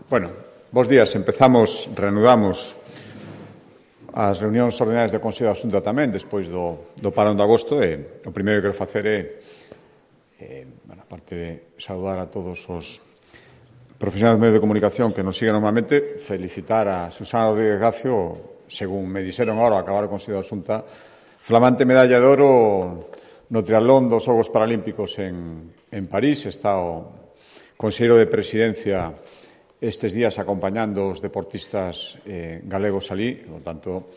Bueno, bos días. Reanudamos as reunións ordinárias do Consello da Xunta tamén, despois do parón de agosto, e o primeiro que quero facer é, aparte de saudar a todos os profesionais dos medios de comunicación que nos siguen normalmente, felicitar a Susana Rodríguez Gacio, según me dixeron agora, ao acabar o Consello da Xunta, flamante medalla de oro no triatlón dos Xogos Paralímpicos en París. Está o conselleiro de Presidencia estes días acompañando os deportistas galegos alí, por tanto,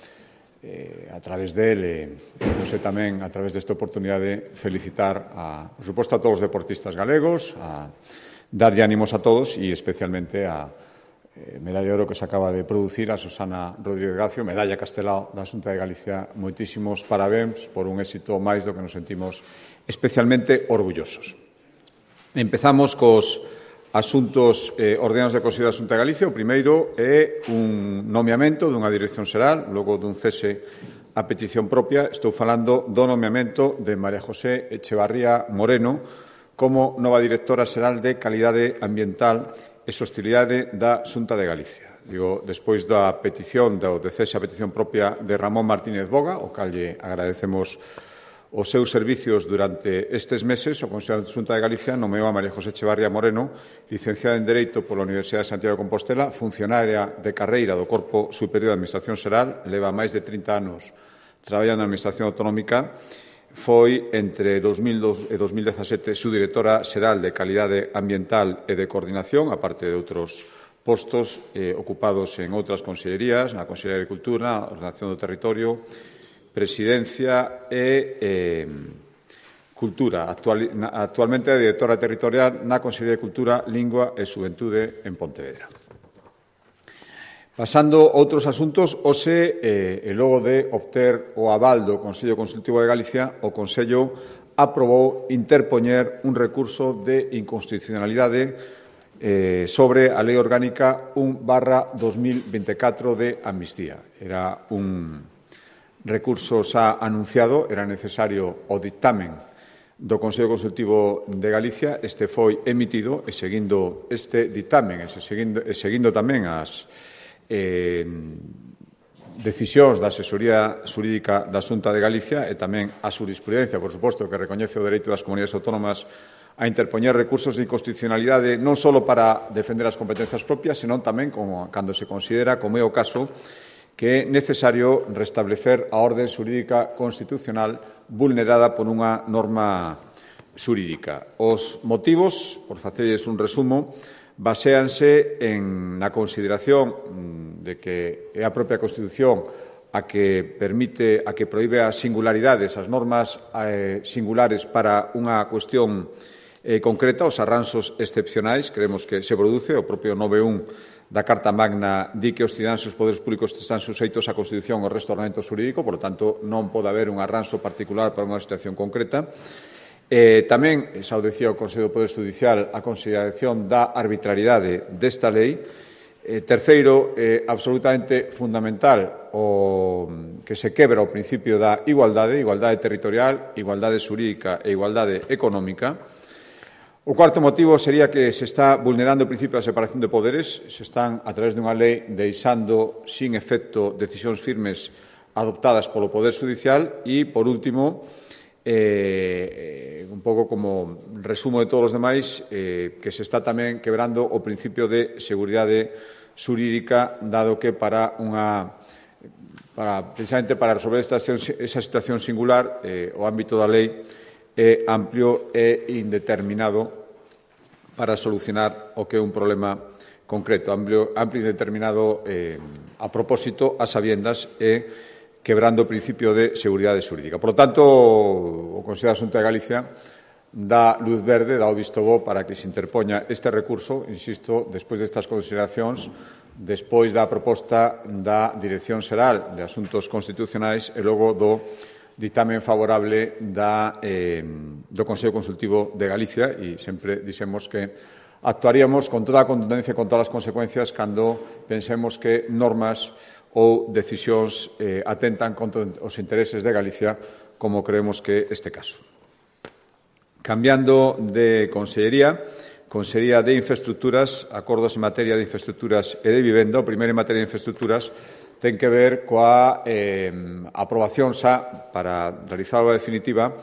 a través del, non sei tamén, a través desta oportunidade, felicitar, por suposto, a todos os deportistas galegos, a darlle ánimos a todos e especialmente a medalla de oro que se acaba de producir a Susana Rodríguez Gacio, medalla Castelao da Xunta de Galicia. Moitísimos parabéns por un éxito máis do que nos sentimos especialmente orgullosos. Empezamos cos asuntos ordenados de Consello da Xunta de Galicia. O primeiro é un nomeamento dunha dirección xeral, logo dun cese a petición propia. Estou falando do nomeamento de María José Echevarría Moreno como nova directora xeral de Calidade Ambiental e Sostenibilidade da Xunta de Galicia. Digo, despois da petición, do cese a petición propia de Ramón Martínez Boga, o cal lle agradecemos os seus servicios durante estes meses, o Consello da Xunta de Galicia nomeou a María José Echevarría Moreno, licenciada en Dereito pola Universidade de Santiago de Compostela, funcionaria de carreira do Corpo Superior de Administración Xeral, leva máis de 30 anos traballando na Administración Autonómica. Foi, entre 2002 e 2017, subdirectora xeral de Calidade Ambiental e de Coordinación, aparte de outros postos ocupados en outras consellerías, na Consellería de Agricultura, na Ordenación do Territorio, Presidencia e Cultura. Actualmente é directora territorial na Consellería de Cultura, Lingua e Xuventude en Pontevedra. Pasando a outros asuntos, hoxe, e logo de obter o aval do Consello Consultivo de Galicia, o Consello aprobou interpoñer un recurso de inconstitucionalidade sobre a Lei Orgánica 1/2024 de Amnistía. Era un recurso xa anunciado, era necesario o dictamen do Consello Consultivo de Galicia. Este foi emitido e, seguindo este dictamen e seguindo tamén as decisións da Asesoría Xurídica da Xunta de Galicia e tamén a xurisprudencia, por suposto, que recoñece o dereito das comunidades autónomas a interpoñer recursos de inconstitucionalidade non só para defender as competencias propias, senón tamén cando se considera, como é o caso, que é necesario restablecer a orde xurídica constitucional vulnerada por unha norma xurídica. Os motivos, por facerles un resumo, baséanse na consideración de que é a propia Constitución a que proíbe as singularidades, as normas singulares para unha cuestión concreta, os arranxos excepcionais. Creemos que se produce, o propio 9.1 da Carta Magna di que os cidadáns e os poderes públicos están suxeitos á Constitución e ao resto do ordenamento xurídico, por lo tanto, non pode haber un arranxo particular para unha situación concreta. Tamén, xa o dicía o Consello do Poder Judicial, a consideración da arbitrariedade desta lei. Terceiro, absolutamente fundamental, que se quebra o principio da igualdade territorial, igualdade xurídica e igualdade económica. O cuarto motivo sería que se está vulnerando o principio da separación de poderes, se están, a través dunha lei, deixando sin efecto decisións firmes adoptadas polo Poder Judicial. E, por último, un pouco como resumo de todos os demais, que se está tamén quebrando o principio de seguridade xurídica, dado que precisamente para resolver esa situación singular, o ámbito da lei é amplio e indeterminado para solucionar o que é un problema concreto, amplio e indeterminado a propósito, a sabiendas, e quebrando o principio de seguridade xurídica. Por lo tanto, o Consello da Xunta de Galicia dá luz verde, dá o visto bo para que se interpoña este recurso, insisto, despois destas consideracións, despois da proposta da Dirección Xeral de Asuntos Constitucionais e logo do dictamen favorable do Consello Consultivo de Galicia. E sempre dixemos que actuaríamos con toda a contundencia e con todas as consecuencias cando pensemos que normas ou decisións atentan contra os intereses de Galicia, como creemos que é este caso. Cambiando de consellería, Consellería de Infraestructuras, acordos en materia de infraestructuras e de vivenda. O primeiro en materia de infraestructuras ten que ver coa aprobación xa para realizar a obra definitiva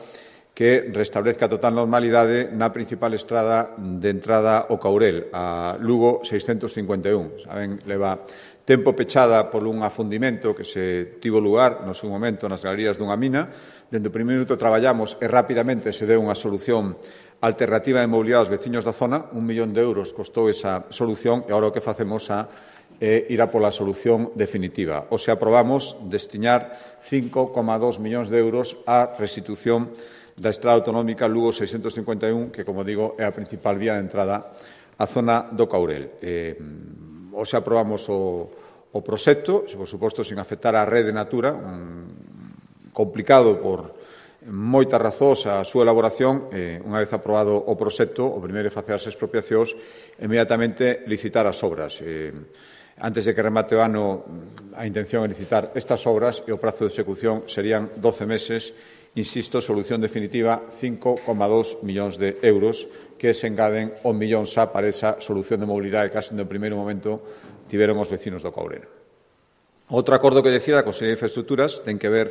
que restablezca a total normalidade na principal estrada de entrada ao Caurel, a Lugo 651. Saben, leva tempo pechada por un afundimento que se tivo lugar no seu momento nas galerías dunha mina. Dende o primeiro minuto traballamos e rapidamente se deu unha solución alternativa de mobilidade aos veciños da zona. 1 millón de euros costou esa solución e agora o que facemos é ir a pola solución definitiva. O se aprobamos destinar 5,2 millóns de euros á restitución da estrada autonómica Lugo 651, que, como digo, é a principal vía de entrada á zona do Caurel. O se aprobamos o proxecto, por suposto, sin afectar a rede Natura, complicado por moitas razóns a súa elaboración. Unha vez aprobado o proxecto, o primeiro é facer as expropiacións e inmediatamente licitar as obras. Antes de que remate o ano, a intención é licitar estas obras e o prazo de execución serían 12 meses. Insisto, solución definitiva, 5,2 millóns de euros que se engaden 1 millón xa para esa solución de mobilidade que case no primeiro momento tiveron os vecinos do Caurel. Outro acordo que decida a Consellería de Infraestructuras ten que ver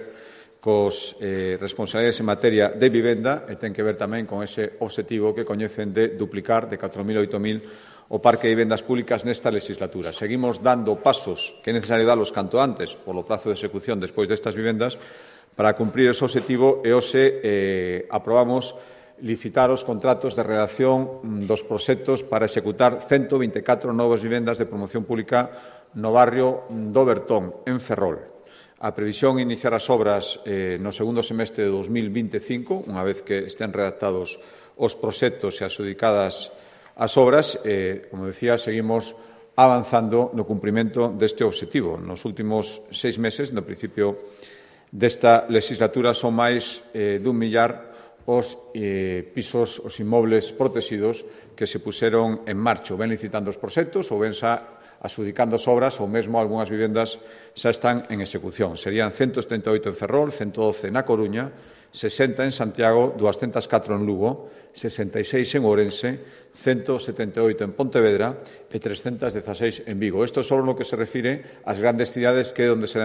cos responsabilidades en materia de vivenda e ten que ver tamén con ese obxectivo que coñecen de duplicar de 4.000 a 8.000 o parque de vivendas públicas nesta legislatura. Seguimos dando pasos que é necesario dalos canto antes polo prazo de execución despois destas vivendas para cumprir ese obxectivo e hoxe aprobamos licitar os contratos de redacción dos proxectos para executar 124 novas vivendas de promoción pública no barrio do Bertón, en Ferrol. A previsión é iniciar as obras no segundo semestre de 2025, unha vez que estén redactados os proxectos e adxudicadas as obras. Como decía, seguimos avanzando no cumprimento deste obxectivo. Nos últimos 6 meses, no principio desta legislatura, son máis dun millar os pisos, os inmobles protegidos que se puseron en marcha. Ou ben licitando os proxectos, ou ben xa adxudicando as obras, ou mesmo algunhas vivendas xa están en execución. Serían 138 en Ferrol, 112 na Coruña, 60 en Santiago, 204 en Lugo, 66 en Ourense, 178 en Pontevedra e 316 en Vigo. Isto só no que se refire ás grandes cidades, que é onde se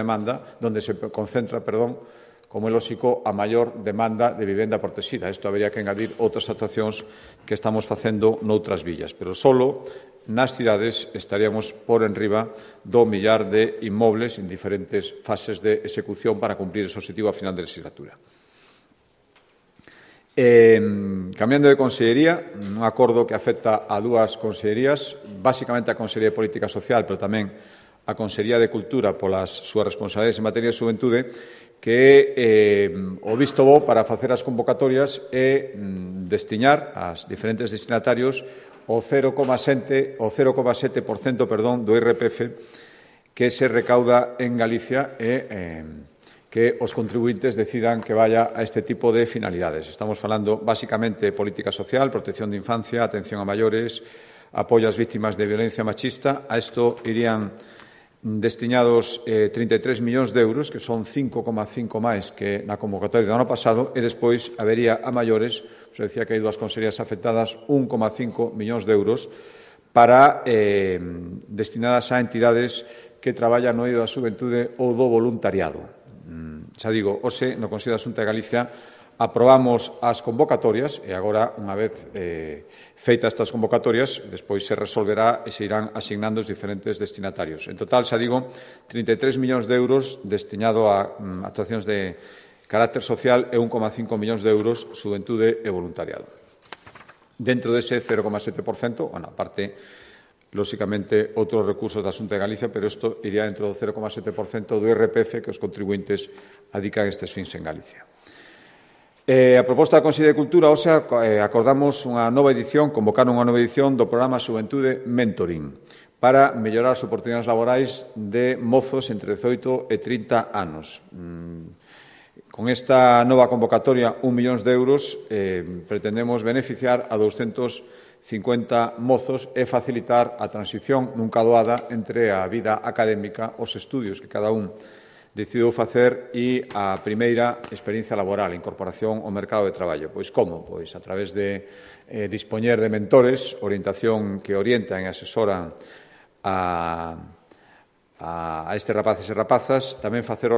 concentra, como é lóxico, a maior demanda de vivenda protexida. Isto habería que engadir outras actuacións que estamos facendo noutras villas, pero solo nas cidades estaríamos por enriba do millar de inmobles en diferentes fases de execución para cumprir ese obxectivo a final de legislatura. Cambiando de consellería, un acordo que afecta a dúas consellerías, basicamente a Consellería de Política Social, pero tamén a Consellería de Cultura polas súas responsabilidades en materia de xuventude, que é o visto bo para facer as convocatorias e destinar aos diferentes destinatarios o 0,7% do IRPF que se recauda en Galicia e que os contribuintes decidan que vaya a este tipo de finalidades. Estamos falando basicamente de política social, protección de infancia, atención a maiores, apoio ás vítimas de violencia machista. A isto irían destinados 33 millóns de euros, que son 5,5 máis que na convocatoria do ano pasado, e despois habería a maiores, se decía que hai dúas consellerías afectadas, 1,5 millóns de euros para destinadas a entidades que traballan no eido da xuventude ou do voluntariado. Xa digo, hoxe, no Consello da Xunta de Galicia, aprobamos as convocatorias e agora, unha vez feitas estas convocatorias, despois se resolverá e se irán asignando os diferentes destinatarios. En total, xa digo, 33 millóns de euros destinado a actuacións de carácter social e 1,5 millóns de euros xuventude e voluntariado. Dentro dese 0,7%, aparte, lóxicamente, outros recursos da Xunta de Galicia, pero isto iría dentro do 0,7% do IRPF que os contribuintes adican estes fins en Galicia. A proposta da Consellería de Cultura, hoxe, acordamos unha nova edición, convocaron unha nova edición do programa Xuventude Mentoring para mellorar as oportunidades laborais de mozos entre 18 e 30 anos. Con esta nova convocatoria, 1 millón de euros, pretendemos beneficiar a 250 mozos e facilitar a transición nunca doada entre a vida académica, os estudios que cada un decidiu facer a primeira experiencia laboral, incorporación ao mercado de traballo. Pois como? Pois a través de dispoñer de mentores, orientación que orientan e asesoran a estes rapaces e rapazas, tamén facer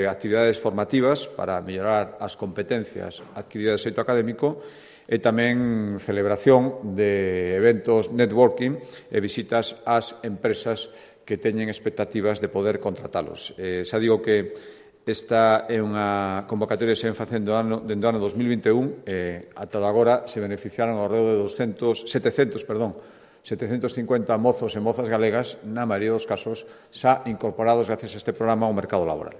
actividades formativas para mellorar as competencias adquiridas de xeito académico e tamén celebración de eventos networking e visitas ás empresas que teñen expectativas de poder contratalos. Xa digo que esta é unha convocatoria que se ven facendo dende o ano 2021 e ata agora se beneficiaron ao redor de 750 mozos e mozas galegas, na maioría dos casos, xa incorporados gracias a este programa ao mercado laboral.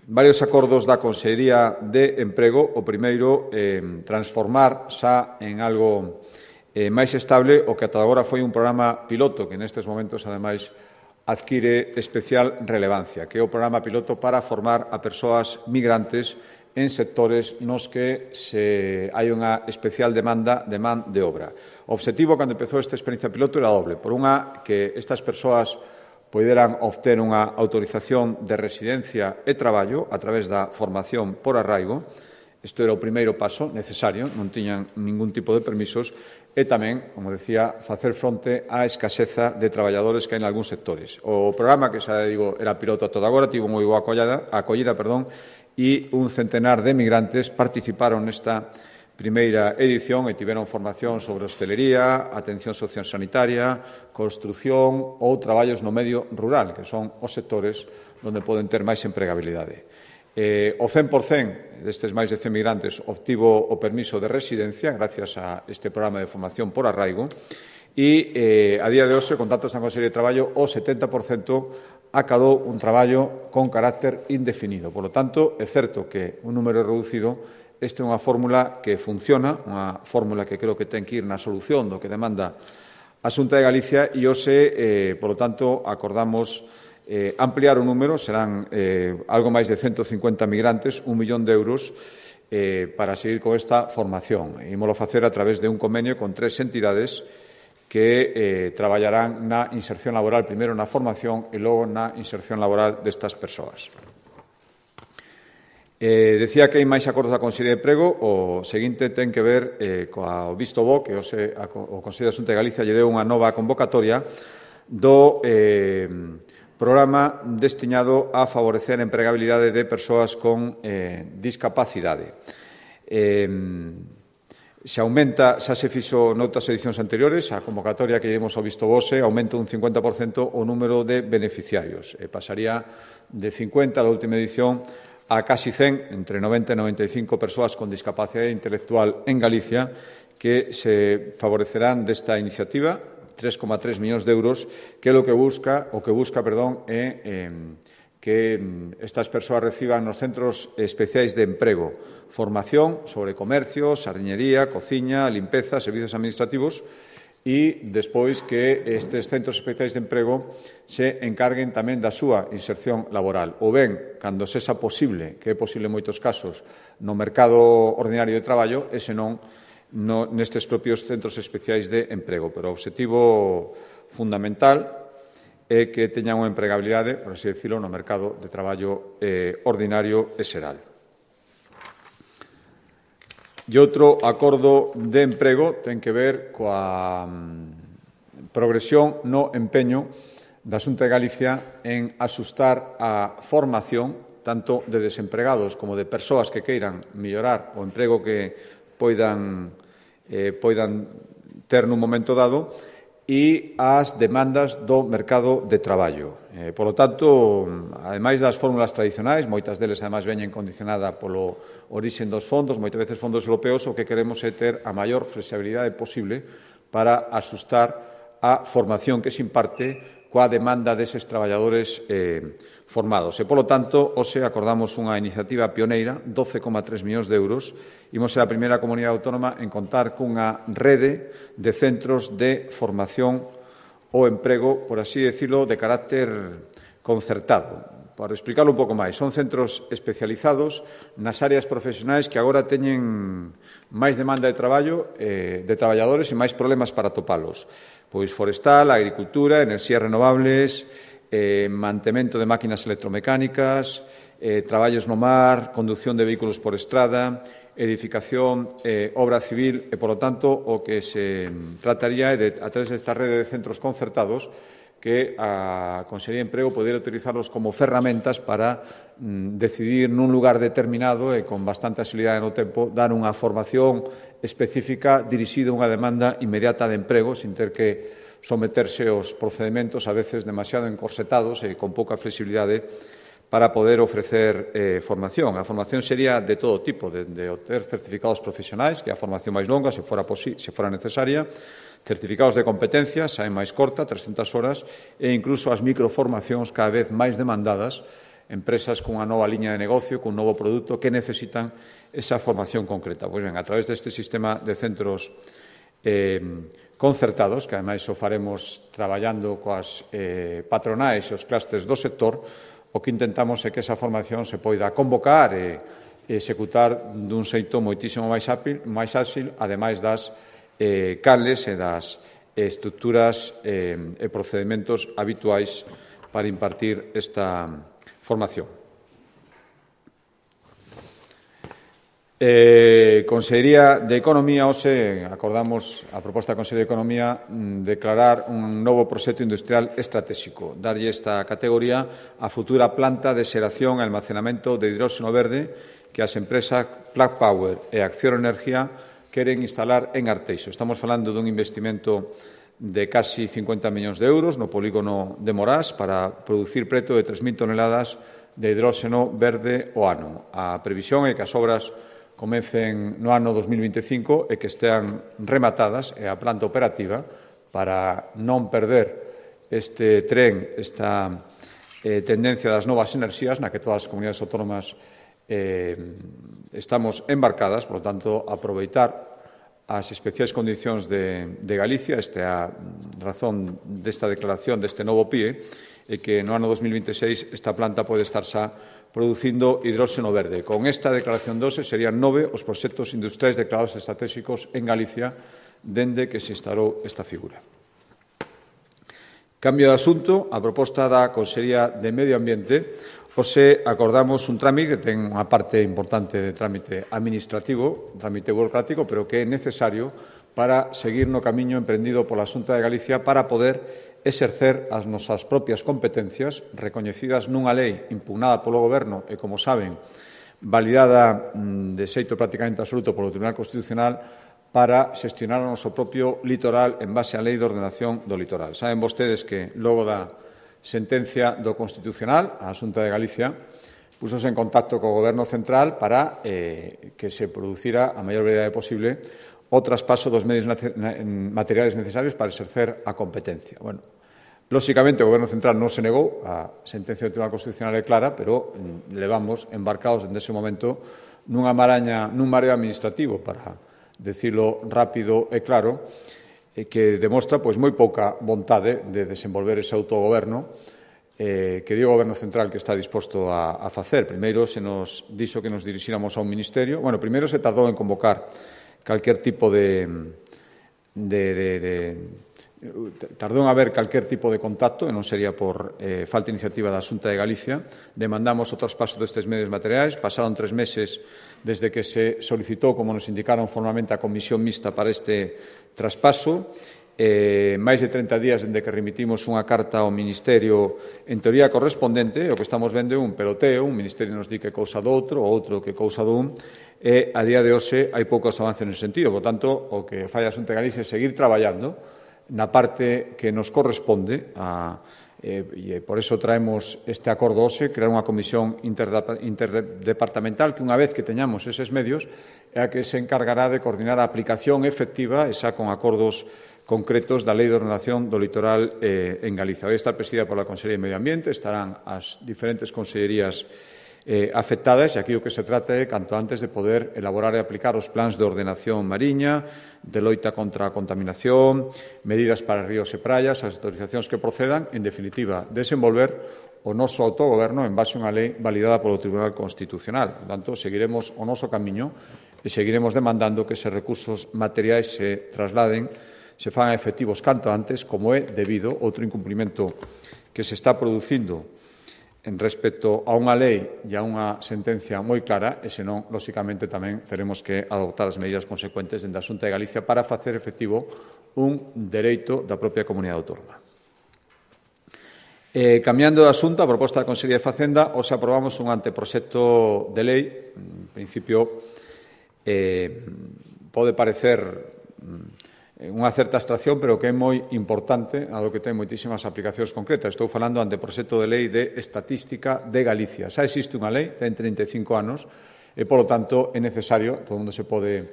Varios acordos da Consellería de Emprego. O primeiro, transformar xa en algo máis estable o que ata agora foi un programa piloto que nestes momentos, ademais, adquire especial relevancia, que é o programa piloto para formar a persoas migrantes en sectores nos que hai unha especial demanda de man de obra. O obxectivo, cando empezou esta experiencia piloto, era doble. Por unha, que estas persoas poderan obter unha autorización de residencia e traballo a través da formación por arraigo. Isto era o primeiro paso necesario, non tiñan ningún tipo de permisos, e tamén, como decía, facer fronte á escaseza de traballadores que hai en algúns sectores. O programa, que xa digo, era piloto a toda agora, tivo moi boa acollida, e un centenar de migrantes participaron nesta primeira edición e tiveron formación sobre hostelería, atención sociosanitaria, construción ou traballos no medio rural, que son os sectores onde poden ter máis empregabilidade. O 100% destes máis de 100 migrantes obtivo o permiso de residencia gracias a este programa de formación por arraigo e a día de hoxe, con datos da Consellería de Traballo, o 70% acadou un traballo con carácter indefinido. Por lo tanto, é certo que un número reducido, esta é unha fórmula que funciona, unha fórmula que creo que ten que ir na solución do que demanda a Xunta de Galicia e hoxe, por lo tanto, acordamos ampliar o número, serán algo máis de 150 migrantes, 1 millón de euros para seguir con esta formación. Ímolo facer a través de un convenio con 3 entidades que traballarán na inserción laboral, primeiro na formación e logo na inserción laboral destas persoas. Decía que hai máis acordos da Consellería de Emprego. O seguinte ten que ver co visto bo, que o Consello da Xunta de Galicia lle deu unha nova convocatoria do programa destinado a favorecer a empregabilidade de persoas con discapacidade. Xa se fixo noutras edicións anteriores, a convocatoria que demos ao visto vose aumenta un 50% o número de beneficiarios. Pasaría de 50 da última edición a casi 100, entre 90 e 95 persoas con discapacidade intelectual en Galicia que se favorecerán desta iniciativa, 3,3 millóns de euros, que é o que busca, é que estas persoas reciban nos centros especiais de emprego formación sobre comercio, sardiñería, cociña, limpeza, servizos administrativos e despois que estes centros especiais de emprego se encarguen tamén da súa inserción laboral, ou ben, cando sexa posible, que é posible en moitos casos, no mercado ordinario de traballo, e senón nestes propios centros especiais de emprego. Pero o obxectivo fundamental é que teñan unha empregabilidade, por así decirlo, no mercado de traballo ordinario e xeral. E outro acordo de emprego ten que ver coa progresión no empeño da Xunta de Galicia en asustar a formación tanto de desempregados como de persoas que queiran mellorar o emprego que poidan ter nun momento dado e as demandas do mercado de traballo. Por lo tanto, ademais das fórmulas tradicionais, moitas deles ademais veñen condicionada polo orixen dos fondos, moitas veces fondos europeos, o que queremos é ter a maior flexibilidade posible para asustar a formación que se imparte coa demanda deses traballadores formados. E, polo tanto, hoxe acordamos unha iniciativa pioneira, 12,3 millóns de euros. Imos ser a primeira comunidade autónoma en contar cunha rede de centros de formación ou emprego, por así decirlo, de carácter concertado. Para explicarlo un pouco máis, son centros especializados nas áreas profesionais que agora teñen máis demanda de traballo, de traballadores e máis problemas para topalos. Pois forestal, agricultura, enerxías renovables, mantemento de máquinas electromecánicas, traballos no mar, conducción de vehículos por estrada, edificación, obra civil e, polo tanto, o que se trataría é de, a través desta rede de centros concertados, que a Consellería de Emprego poder utilizarlos como ferramentas para decidir nun lugar determinado e con bastante axilidade no tempo dar unha formación específica dirixida a unha demanda inmediata de emprego sin ter que someterse aos procedementos a veces demasiado encorsetados e con pouca flexibilidade para poder ofrecer formación. A formación sería de todo tipo, de obter certificados profesionais, que é a formación máis longa, se fora necesaria, certificados de competencias, a máis corta, 300 horas, e incluso as microformacións cada vez máis demandadas, empresas cunha nova liña de negocio, cun novo produto, que necesitan esa formación concreta. Pois ben, a través deste sistema de centros concertados, que ademais o faremos traballando coas patronais e os clústeres do sector, o que intentamos é que esa formación se poida convocar e executar dun xeito moitísimo máis áxil, ademais das canles e das estructuras e procedementos habituais para impartir esta formación. Consellería de Economía, hoxe acordamos a proposta da Consellería de Economía declarar un novo proxecto industrial estratégico, darlle esta categoría a futura planta de xeración e almacenamento de hidróxeno verde que as empresas Plug Power e Acciona Energía queren instalar en Arteixo. Estamos falando dun investimento de casi 50 millóns de euros no polígono de Morás para producir preto de 3.000 toneladas de hidróxeno verde ao ano. A previsión é que as obras comecen no ano 2025 e que estean rematadas e a planta operativa para non perder este tren, esta tendencia das novas enerxías na que todas as comunidades autónomas estamos embarcadas, por lo tanto, aproveitar as especiais condicións de Galicia, esta é a razón desta declaración deste novo PIE, e que no ano 2026 esta planta pode estar xa producindo hidróxeno verde. Con esta declaración de hoxe serían 9 os proxectos industriais declarados estratégicos en Galicia dende que se instalou esta figura. Cambio de asunto, a proposta da Consellería de Medio Ambiente, hoxe acordamos un trámite que ten unha parte importante de trámite administrativo, trámite burocrático, pero que é necesario para seguir no camiño emprendido pola Xunta de Galicia para poder exercer as nosas propias competencias recoñecidas nunha lei impugnada polo Goberno e, como saben, validada de xeito prácticamente absoluto polo Tribunal Constitucional para xestionar o noso propio litoral en base á Lei de Ordenación do Litoral. Saben vostedes que, logo da sentencia do Constitucional, a Xunta de Galicia pusose en contacto co Goberno central para que se producira a maior brevidade posible o traspaso dos medios materiais necesarios para exercer a competencia. Bueno, lóxicamente, o Goberno central non se negou, a sentencia do Tribunal Constitucional é clara, pero levamos embarcados desde ese momento nun mareo administrativo, para decirlo rápido e claro, que demostra moi pouca vontade de desenvolver ese autogoberno que di o Goberno central que está disposto a facer. Primeiro se nos dixo que nos dirixíramos a un ministerio. Bueno, primeiro se tardou en convocar calquer tipo tardou en haber calquer tipo de contacto, e non sería por falta de iniciativa da Xunta de Galicia. Demandamos o traspaso destes medios materiais. Pasaron 3 meses desde que se solicitou, como nos indicaron formalmente, a comisión mixta para este traspaso. Máis de 30 días dende que remitimos unha carta ao Ministerio en teoría correspondente. O que estamos vendo é un peloteo, un Ministerio nos di que cousa do outro, o outro que cousa do un, e a día de hoxe hai poucos avances nese sentido. Por tanto, o que fai a Xunta de Galicia é seguir traballando na parte que nos corresponde e por eso traemos este acordo hoxe, crear unha comisión interdepartamental que, unha vez que teñamos eses medios, é a que se encargará de coordinar a aplicación efectiva, esa con acordos concretos da Lei de Ordenación do Litoral en Galicia. Vai estar presidida pola Consellería de Medio Ambiente, estarán as diferentes consellerías afectadas, e aquí o que se trata é, canto antes, de poder elaborar e aplicar os plans de ordenación mariña, de loita contra a contaminación, medidas para ríos e praias, as autorizacións que procedan, en definitiva, desenvolver o noso autogoberno en base a unha lei validada polo Tribunal Constitucional. Por tanto, seguiremos o noso camiño e seguiremos demandando que eses recursos materiais se trasladen, se fagan efectivos canto antes, como é debido outro incumprimento que se está producindo en respecto a unha lei e a unha sentencia moi clara, e senón, lóxicamente, tamén teremos que adoptar as medidas consecuentes dende a Xunta de Galicia para facer efectivo un dereito da propia comunidade autónoma. Cambiando de asunto, a proposta da Consellería de Facenda, hoxe aprobamos un anteproxecto de lei. En principio, pode parecer unha certa abstracción, pero que é moi importante, dado que ten moitísimas aplicacións concretas. Estou falando do anteproxecto de lei de Estatística de Galicia. Xa existe unha lei, ten 35 anos, e, polo tanto, é necesario, todo o mundo se pode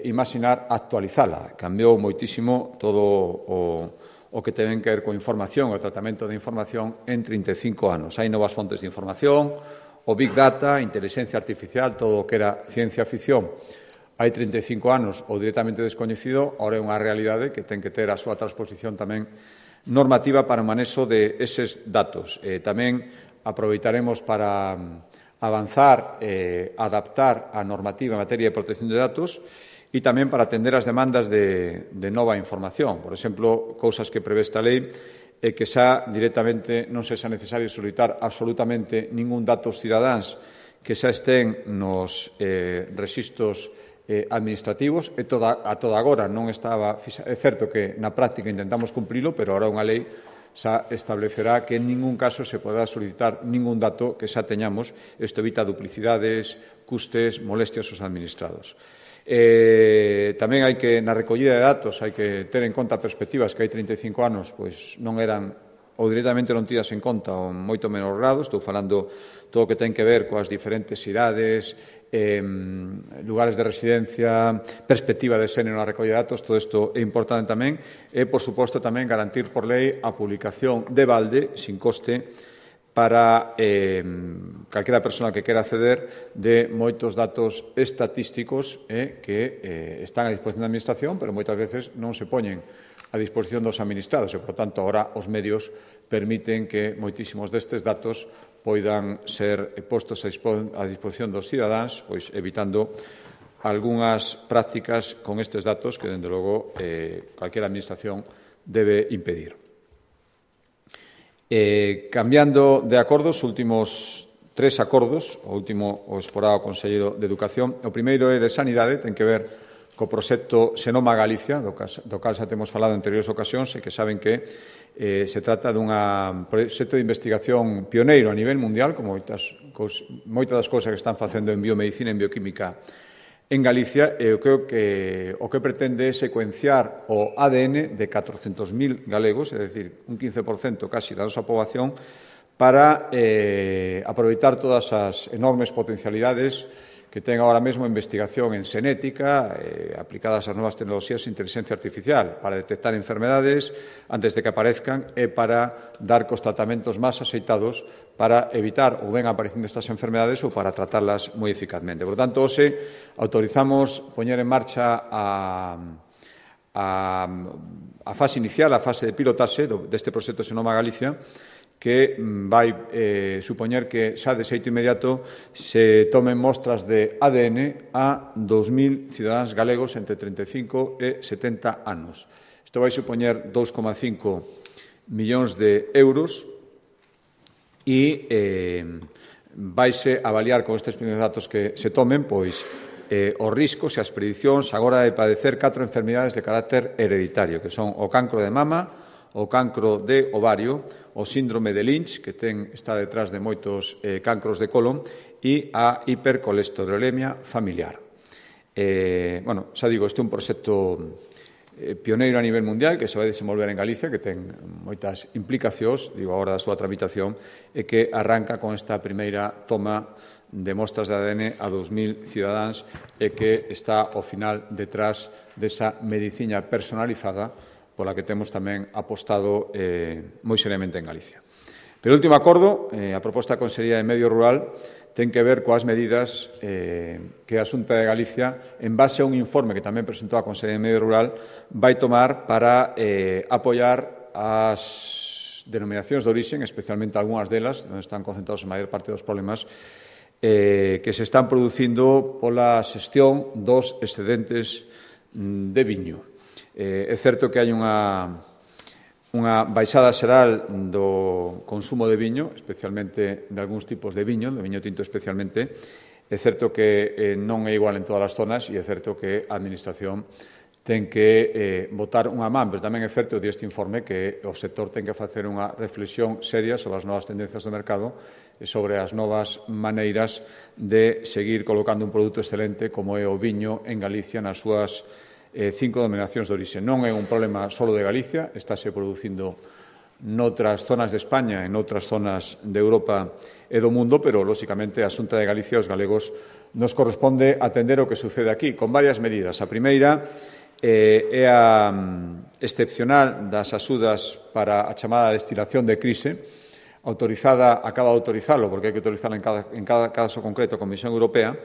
imaginar, actualizala. Cambiou moitísimo todo o que ten que ver con información, o tratamento de información en 35 anos. Hai novas fontes de información, o Big Data, a inteligencia artificial, todo o que era ciencia ficción hai 35 anos ou directamente descoñecido, ahora é unha realidade que ten que ter a súa transposición tamén normativa para o manexo de eses datos. Tamén aproveitaremos para avanzar e adaptar a normativa en materia de protección de datos e tamén para atender as demandas de nova información. Por exemplo, cousas que prevé esta lei é que xa directamente non sexa necesario solicitar absolutamente ningún datos cidadáns que xa estén nos rexistros administrativos. A toda agora non estaba. É certo que na práctica intentamos cumprilo, pero agora unha lei xa establecerá que en ningún caso se poderá solicitar ningún dato que xa teñamos. Isto evita duplicidades, custes, molestias aos administrados. Tamén hai que, na recollida de datos, hai que ter en conta perspectivas que hai 35 anos pois non eran ou directamente non tidas en conta ou moito menos grado. Estou falando todo o que ten que ver coas diferentes idades, lugares de residencia, perspectiva de xénero na recollida de datos. Todo isto é importante tamén. E, por suposto, tamén garantir por lei a publicación de balde, sin coste, para calquera persona que quera acceder de moitos datos estatísticos que están a disposición da Administración, pero moitas veces non se poñen a disposición dos administrados e, por tanto, agora os medios permiten que moitísimos destes datos poidan ser postos a disposición dos cidadáns, pois evitando algunhas prácticas con estes datos que, dende logo, calquera administración debe impedir. Cambiando de acordos, últimos 3 acordos, o último o exporado ao Conselleiro de Educación. O primeiro é de Sanidade, ten que ver co proxecto Xenoma Galicia, do cal xa temos falado en anteriores ocasións, e que saben que se trata dun proxecto de investigación pioneiro a nivel mundial, como moitas das cousas que están facendo en biomedicina e en bioquímica en Galicia, e o que pretende é secuenciar o ADN de 400.000 galegos, é dicir, un 15% casi da nosa poboación, para aproveitar todas as enormes potencialidades que ten agora mesmo a investigación en xenética, aplicadas ás novas tecnoloxías de inteligencia artificial, para detectar enfermedades antes de que aparezcan e para dar cos tratamentos máis axeitados para evitar ou ben a aparición destas enfermedades ou para tratarlas moi eficazmente. Por tanto, hoxe autorizamos poñer en marcha a fase inicial, a fase de pilotaxe deste proxecto Xenoma Galicia, que vai supoñer que xa de xeito inmediato se tomen mostras de ADN a 2.000 cidadáns galegos entre 35 e 70 anos. Isto vai supoñer 2,5 millóns de euros e vaise avaliar con estes primeiros datos que se tomen pois os riscos e as predicións agora de padecer 4 enfermidades de carácter hereditario, que son o cancro de mama, o cancro de ovario, o síndrome de Lynch, que está detrás de moitos cancros de colon, e a hipercolesterolemia familiar. Xa digo, este é un proxecto pioneiro a nivel mundial que se vai desenvolver en Galicia, que ten moitas implicacións, digo, agora da súa tramitación, e que arranca con esta primeira toma de mostras de ADN a 2.000 cidadáns e que está, ao final, detrás desa medicina personalizada pola que temos tamén apostado moi seriamente en Galicia. Pero o último acordo, a proposta da Consellería de Medio Rural, ten que ver coas medidas que a Xunta de Galicia, en base a un informe que tamén presentou a Consellería de Medio Rural, vai tomar para apoiar as denominacións de orixen, especialmente algunhas delas, onde están concentrados a maior parte dos problemas que se están producindo pola xestión dos excedentes de viño. É certo que hai unha baixada xeral do consumo de viño, especialmente de algúns tipos de viño tinto especialmente. É certo que non é igual en todas as zonas e é certo que a Administración ten que botar unha man, pero tamén é certo deste informe que o sector ten que facer unha reflexión seria sobre as novas tendencias do mercado e sobre as novas maneiras de seguir colocando un produto excelente como é o viño en Galicia nas súas 5 denominacións de orixe. Non é un problema só de Galicia, estáse producindo noutras zonas de España e noutras zonas de Europa e do mundo, pero, lóxicamente, a Xunta de Galicia e os galegos nos corresponde atender o que sucede aquí, con varias medidas. A primeira é a excepcional das axudas para a chamada destilación de crise, acaba de autorizalo, porque hai que autorizalo en cada caso concreto a Comisión Europea,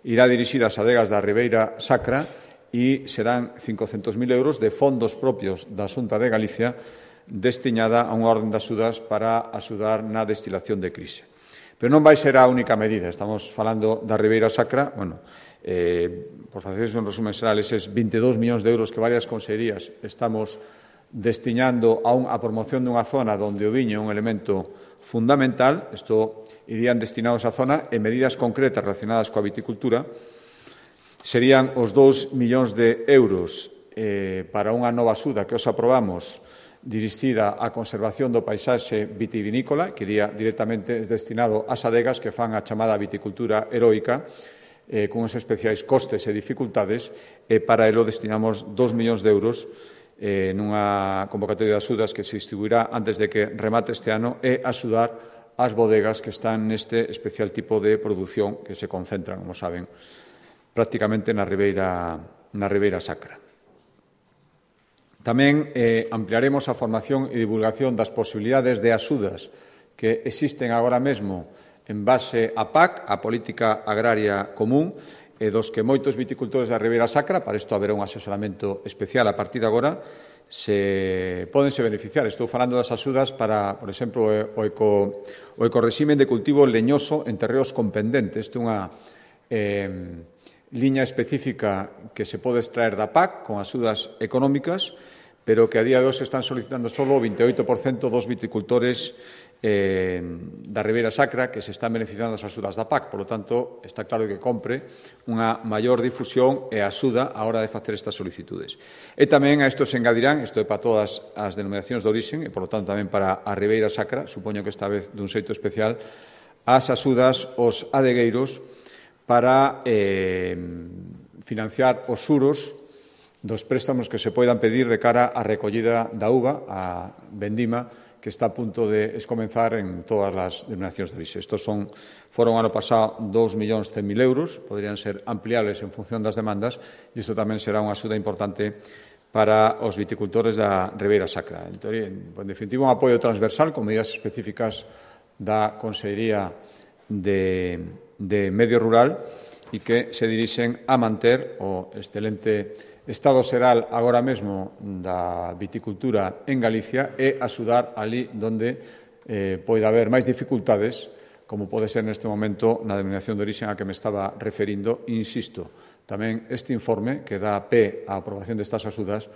irá dirixida ás adegas da Ribeira Sacra e serán 500.000 euros de fondos propios da Xunta de Galicia destinada a unha orden de axudas para axudar na destilación de crise. Pero non vai ser a única medida. Estamos falando da Ribeira Sacra, por faceres un resumen xeral, eses 22 millóns de euros que varias consellerías estamos destinando a promoción dunha zona onde o viño é un elemento fundamental. Isto irían destinados á zona e medidas concretas relacionadas coa viticultura serían os 2 millóns de euros para unha nova axuda que os aprobamos dirixida á conservación do paisaxe vitivinícola, que iría directamente destinado ás adegas que fan a chamada viticultura heroica, con uns especiais costes e dificultades, e para elo destinamos 2 millóns de euros nunha convocatoria de axudas que se distribuirá antes de que remate este ano e axudar as bodegas que están neste especial tipo de produción que se concentran, como saben, prácticamente na Ribeira Sacra. Tamén ampliaremos a formación e divulgación das posibilidades de axudas que existen agora mesmo en base á PAC, a Política Agraria Común, e dos que moitos viticultores da Ribeira Sacra, para isto haberá un asesoramento especial a partir de agora, podense beneficiar. Estou falando das axudas para, por exemplo, o ecorreximen de cultivo leñoso en terreos con pendente. Isto é unha liña específica que se pode extraer da PAC con axudas económicas, pero que a día de hoxe están solicitando só o 28% dos viticultores da Ribeira Sacra que se están beneficiando das axudas da PAC. Por lo tanto, está claro que compre unha maior difusión e axuda á hora de facer estas solicitudes. E tamén a isto se engadirán, isto é para todas as denominacións de orixen e, por lo tanto, tamén para a Ribeira Sacra, supoño que esta vez dun xeito especial, as axudas aos adegueiros para financiar os xuros dos préstamos que se poidan pedir de cara á recollida da uva, a vendima, que está a punto de comenzar en todas as denominacións de orixe. Estos foron ano pasado 2.100.000 euros, poderían ser ampliables en función das demandas, e isto tamén será unha axuda importante para os viticultores da Ribeira Sacra. En definitiva, un apoio transversal con medidas específicas da Consellería de Medio Rural e que se dirixen a manter o excelente estado xeral agora mesmo da viticultura en Galicia e axudar ali onde poida haber máis dificultades, como pode ser neste momento na denominación de orixen a que me estaba referindo. Insisto, tamén este informe que dá pé á aprobación destas axudas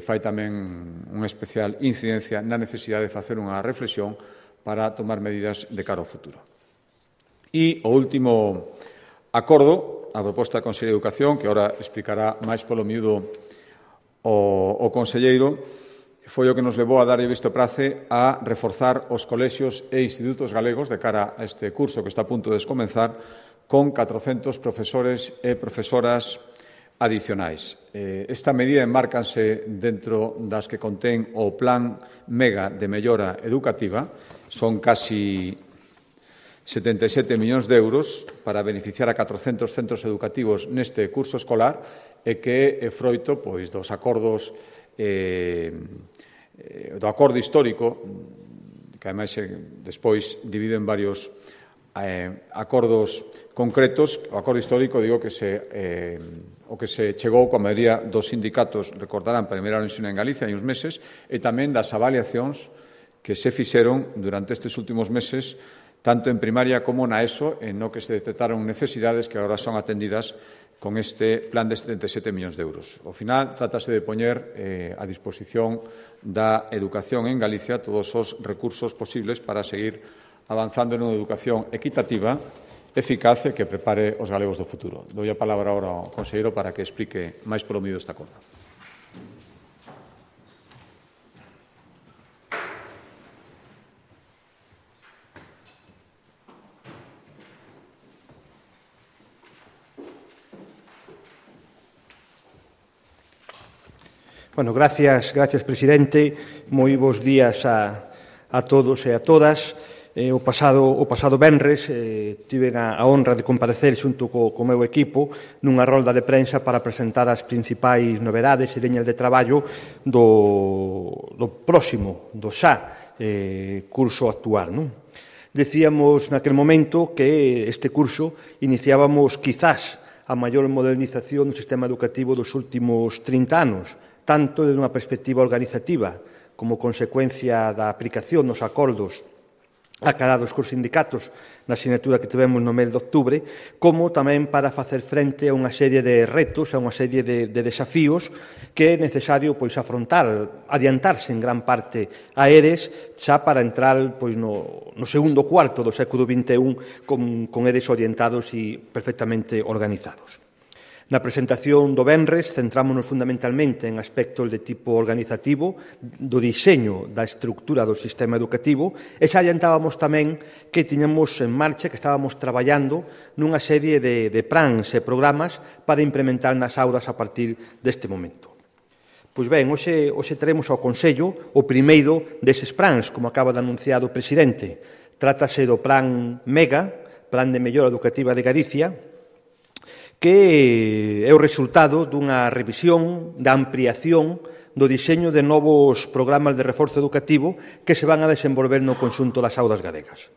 fai tamén unha especial incidencia na necesidade de facer unha reflexión para tomar medidas de cara ao futuro. E o último acordo, a proposta da Consellería de Educación, que agora explicará máis polo miúdo o conselleiro, foi o que nos levou a darlle visto prace a reforzar os colexios e institutos galegos de cara a este curso que está a punto de comenzar con 400 profesores e profesoras adicionais. Esta medida enmárcanse dentro das que contén o Plan Mega de Mellora Educativa. Son casi 77 millóns de euros para beneficiar a 400 centros educativos neste curso escolar e que é froito dos acordos do acordo histórico, que ademais despois divide en varios acordos concretos. O acordo histórico, digo, que se chegou coa maioría dos sindicatos, recordarán, para mellorar o ensino en Galicia hai uns meses, e tamén das avaliacións que se fixeron durante estes últimos meses, tanto en primaria como na ESO, en no que se detectaron necesidades que agora son atendidas con este plan de 77 millóns de euros. Ao final, trátase de poñer a disposición da educación en Galicia todos os recursos posibles para seguir avanzando nunha educación equitativa, eficaz e que prepare os galegos do futuro. Dou a palabra agora ao conselleiro para que explique máis polo medio desta acordo. Bueno, gracias, presidente. Moi bons días a todos e a todas. O pasado venres tiven a honra de comparecer xunto co meu equipo nunha rolda de prensa para presentar as principais novedades e liñas de traballo do próximo, do xa curso actual. Decíamos naquel momento que este curso iniciábamos quizás a maior modernización do sistema educativo dos últimos 30 anos, tanto desde unha perspectiva organizativa como consecuencia da aplicación dos acordos acadados cos sindicatos na asignatura que tivemos no mes de outubro, como tamén para facer frente a unha serie de retos, a unha serie de desafíos que é necesario afrontar, adiantarse en gran parte a eles, xa para entrar no segundo cuarto do século XXI con eles orientados e perfectamente organizados. Na presentación do venres centrámonos fundamentalmente en aspectos de tipo organizativo, do diseño da estructura do sistema educativo, e xa adiantábamos tamén que tiñamos en marcha, que estábamos traballando nunha serie de plans e programas para implementar nas aulas a partir deste momento. Pois ben, hoxe teremos ao Consello o primeiro deses plans, como acaba de anunciar o presidente. Trátase do Plan MEGA, Plan de Mellora Educativa de Galicia, que é o resultado dunha revisión, da ampliación do diseño de novos programas de reforzo educativo que se van a desenvolver no conxunto das aulas galegas.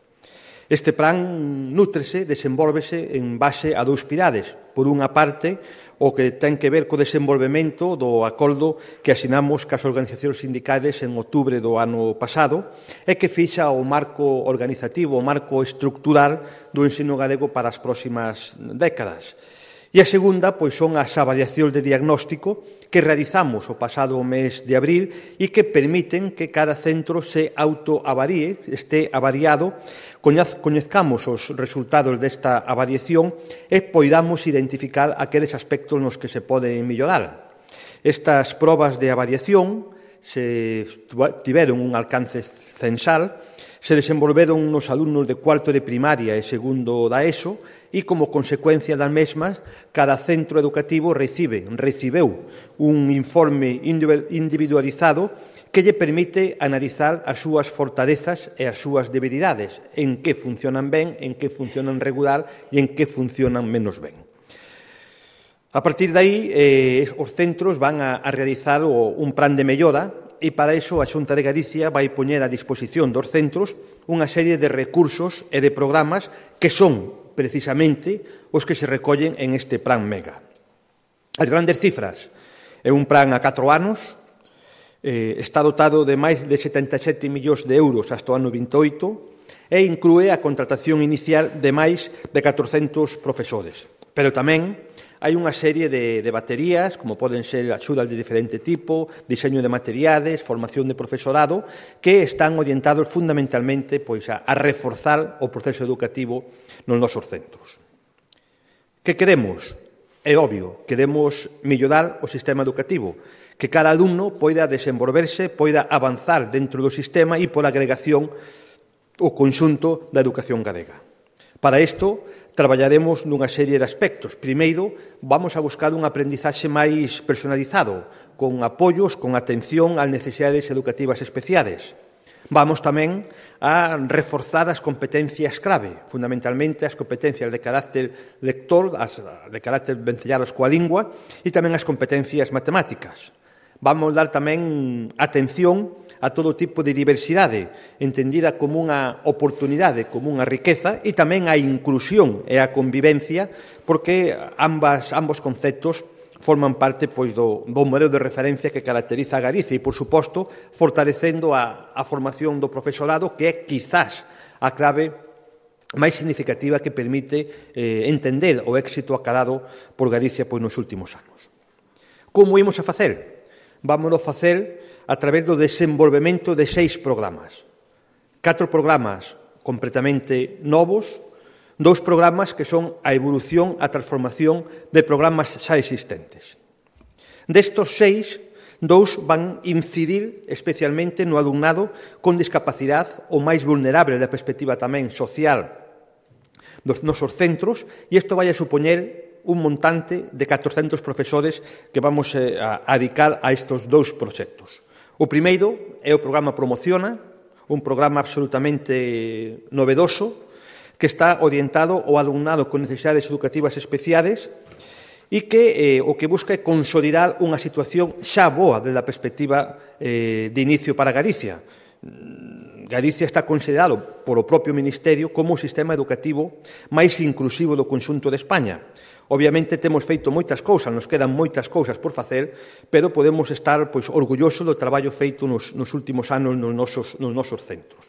Este plan nútrese, desenvólvese en base a dous pilares. Por unha parte, o que ten que ver co desenvolvemento do acordo que asinamos cas organizacións sindicales en outubro do ano pasado e que fixa o marco organizativo, o marco estructural do ensino galego para as próximas décadas. E a segunda, son as avaliacións de diagnóstico que realizamos o pasado mes de abril e que permiten que cada centro se autoavaríe, este avariado, coñezcamos os resultados desta avaliación e poidamos identificar aqueles aspectos nos que se pode mellorar. Estas probas de avaliación se tiveron un alcance censal, se desenvolveron nos alumnos de cuarto de primaria e segundo da ESO e, como consecuencia das mesmas, cada centro educativo recibeu un informe individualizado que lle permite analizar as súas fortalezas e as súas debilidades, en que funcionan ben, en que funcionan regular e en que funcionan menos ben. A partir de aí, os centros van a realizar un plan de mellora e para iso a Xunta de Galicia vai poñer a disposición dos centros unha serie de recursos e de programas que son precisamente os que se recollen en este plan MEGA. As grandes cifras: é un plan a 4 anos, está dotado de máis de 77 millóns de euros hasta o ano 28 e inclúe a contratación inicial de máis de 400 profesores. Pero tamén hai unha serie de baterías, como poden ser axudas de diferente tipo, diseño de materiales, formación de profesorado, que están orientados fundamentalmente a reforzar o proceso educativo nos nosos centros. Que queremos? É obvio, queremos mellorar o sistema educativo, que cada alumno poida desenvolverse, poida avanzar dentro do sistema e por agregación o conxunto da educación galega. Para isto, traballaremos nunha serie de aspectos. Primeiro, vamos a buscar un aprendizaxe máis personalizado, con apoios, con atención ás necesidades educativas especiales. Vamos tamén a reforzar as competencias clave, fundamentalmente as competencias de carácter lector, as de carácter vencellados coa lingua, e tamén as competencias matemáticas. Vamos dar tamén atención a todo tipo de diversidade, entendida como unha oportunidade, como unha riqueza, e tamén a inclusión e a convivencia, porque ambos conceptos forman parte do modelo de referencia que caracteriza a Galicia e, por suposto, fortalecendo a formación do profesorado, que é quizás a clave máis significativa que permite entender o éxito acadado por Galicia nos últimos anos. Como imos a facer? Vámonos a facer a través do desenvolvemento de 6 programas. 4 programas completamente novos, 2 programas que son a evolución, a transformación de programas xa existentes. Destos 6, 2 van incidir especialmente no alumnado con discapacidade, o máis vulnerable da perspectiva tamén social dos nosos centros, e isto vai a supoñer un montante de 400 profesores que vamos a dedicar a estes 2 proxectos. O primeiro é o programa Promociona, un programa absolutamente novedoso que está orientado ao alumnado con necesidades educativas especiales e que o que busca é consolidar unha situación xa boa desde a perspectiva de inicio para Galicia. Galicia está considerado por o propio Ministerio como o sistema educativo máis inclusivo do conxunto de España. Obviamente temos feito moitas cousas, nos quedan moitas cousas por facer, pero podemos estar orgullosos do traballo feito nos últimos anos nos nosos centros.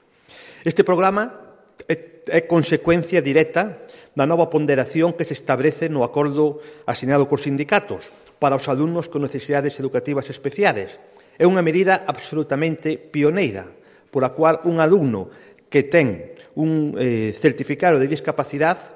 Este programa é consecuencia directa da nova ponderación que se establece no acordo asinado cos sindicatos para os alumnos con necesidades educativas especiales. É unha medida absolutamente pioneira, por a cual un alumno que ten un certificado de discapacidade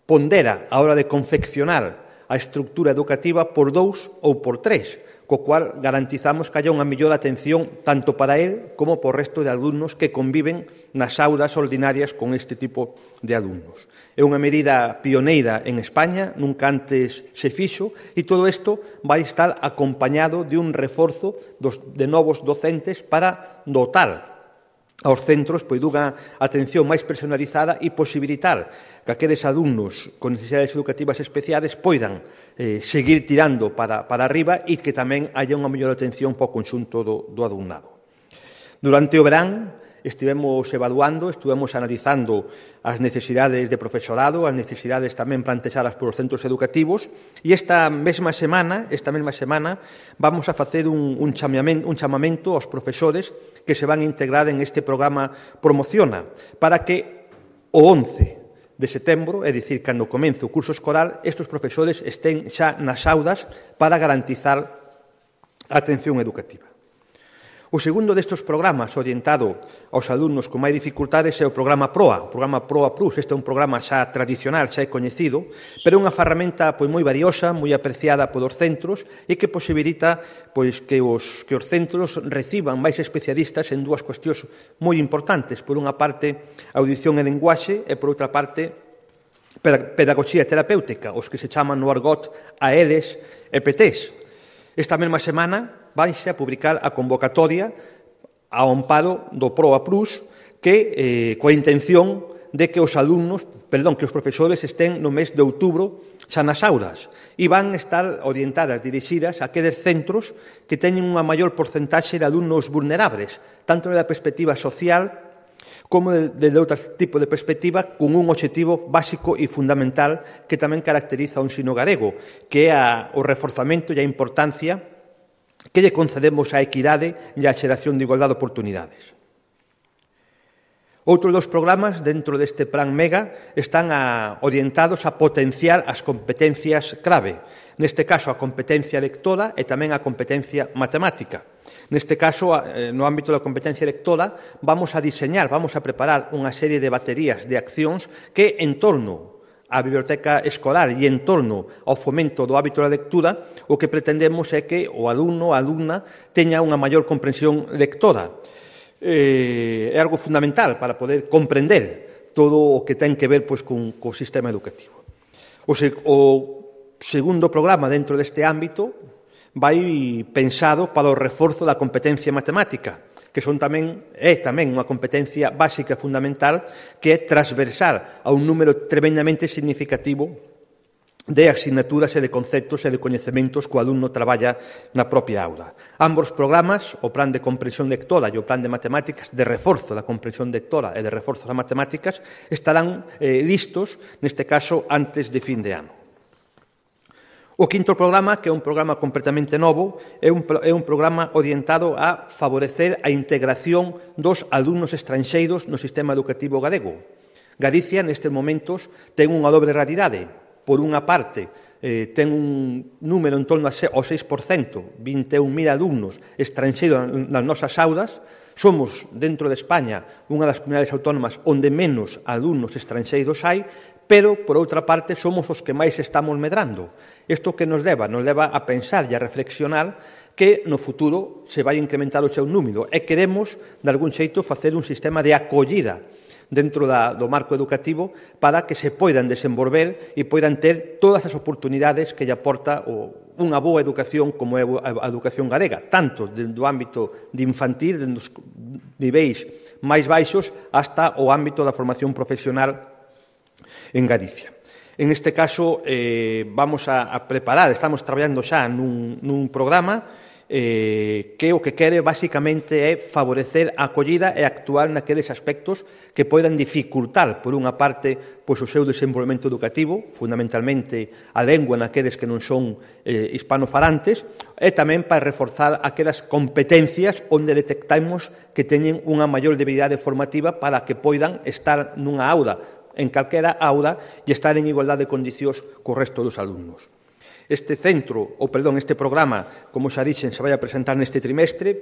pondera a hora de confeccionar a estructura educativa por 2 ou por 3, co cual garantizamos que haya unha mellor atención tanto para él como por resto de alumnos que conviven nas aulas ordinarias con este tipo de alumnos. É unha medida pioneira en España, nunca antes se fixo, e todo isto vai estar acompañado de un reforzo de novos docentes para dotar aos centros dunha atención máis personalizada e posibilitar que aqueles alumnos con necesidades educativas especiales poidan seguir tirando para arriba e que tamén haya unha mellor atención para o conxunto do alumnado. Durante o verán estivemos evaluando, estivemos analizando as necesidades de profesorado, as necesidades tamén plantexadas por os centros educativos, e esta mesma semana vamos a facer un chamamento aos profesores que se van a integrar en este programa Promociona, para que o 11 de setembro, é dicir, cando comece o curso escolar, estes profesores estén xa nas aulas para garantizar a atención educativa. O segundo destes programas orientado aos alumnos con máis dificultades é o programa PROA. O programa PROA Plus, este é un programa xa tradicional, xa é coñecido, pero é unha ferramenta moi valiosa, moi apreciada polos centros e que posibilita que os centros reciban máis especialistas en 2 cuestións moi importantes. Por unha parte, audición e linguaxe, e por outra parte, pedagogía terapéutica, os que se chaman no argot AEDs e PTs. Esta mesma semana vaise a publicar a convocatoria ao amparo do PROA Plus, que coa intención de que os profesores estén no mes de outubro xa nas aulas e van estar orientadas, dirixidas a aqueles centros que teñen unha maior porcentaxe de alumnos vulnerables, tanto da perspectiva social como de outro tipo de perspectiva, con un obxectivo básico e fundamental que tamén caracteriza o ensino galego, que é o reforzamento e a importancia que lle concedemos á equidade e á xeración de igualdade de oportunidades. Outros 2 programas dentro deste Plan MEGA están orientados a potenciar as competencias clave, neste caso a competencia lectora e tamén a competencia matemática. Neste caso, no ámbito da competencia lectora, vamos a preparar unha serie de baterías de accións que, en torno á biblioteca escolar e en torno ao fomento do hábito da lectura, o que pretendemos é que o alumno, a alumna, teña unha maior comprensión lectora. É algo fundamental para poder comprender todo o que ten que ver co sistema educativo. O segundo programa dentro deste ámbito vai pensado para o reforzo da competencia matemática, que é tamén unha competencia básica e fundamental que é transversal a un número tremendamente significativo de asignaturas e de conceptos e de coñecementos que o alumno traballa na propia aula. Ambos programas, o plan de comprensión lectora e o plan de matemáticas, de reforzo da comprensión lectora e de reforzo das matemáticas, estarán listos, neste caso, antes de fin de ano. O quinto programa, que é un programa completamente novo, é un programa orientado a favorecer a integración dos alumnos estranxeiros no sistema educativo galego. Galicia, nestes momentos, ten unha dobre realidade. Por unha parte, ten un número en torno ao 6%, 21.000 alumnos estranxeiros nas nosas aulas. Somos, dentro de España, unha das comunidades autónomas onde menos alumnos estranxeiros hai, pero, por outra parte, somos os que máis estamos medrando. Isto que nos leva? Nos leva a pensar e a reflexionar que no futuro se vai incrementar o seu número e queremos, de algún xeito, facer un sistema de acollida dentro do marco educativo para que se poidan desenvolver e poidan ter todas as oportunidades que lle aporta unha boa educación como é a educación galega, tanto do ámbito de infantil, dos niveis máis baixos, hasta o ámbito da formación profesional en Galicia. En este caso, vamos a preparar, estamos traballando xa nun programa que o que quere basicamente é favorecer a acollida e actuar naqueles aspectos que poidan dificultar, por unha parte, pois o seu desenvolvemento educativo, fundamentalmente a lengua naqueles que non son hispanofalantes, e tamén para reforzar aquelas competencias onde detectamos que teñen unha maior debilidade formativa para que poidan estar nunha aula, en calquera aula, e estar en igualdade de condicións co resto dos alumnos. Este programa, como xa dixen, se vai a presentar neste trimestre,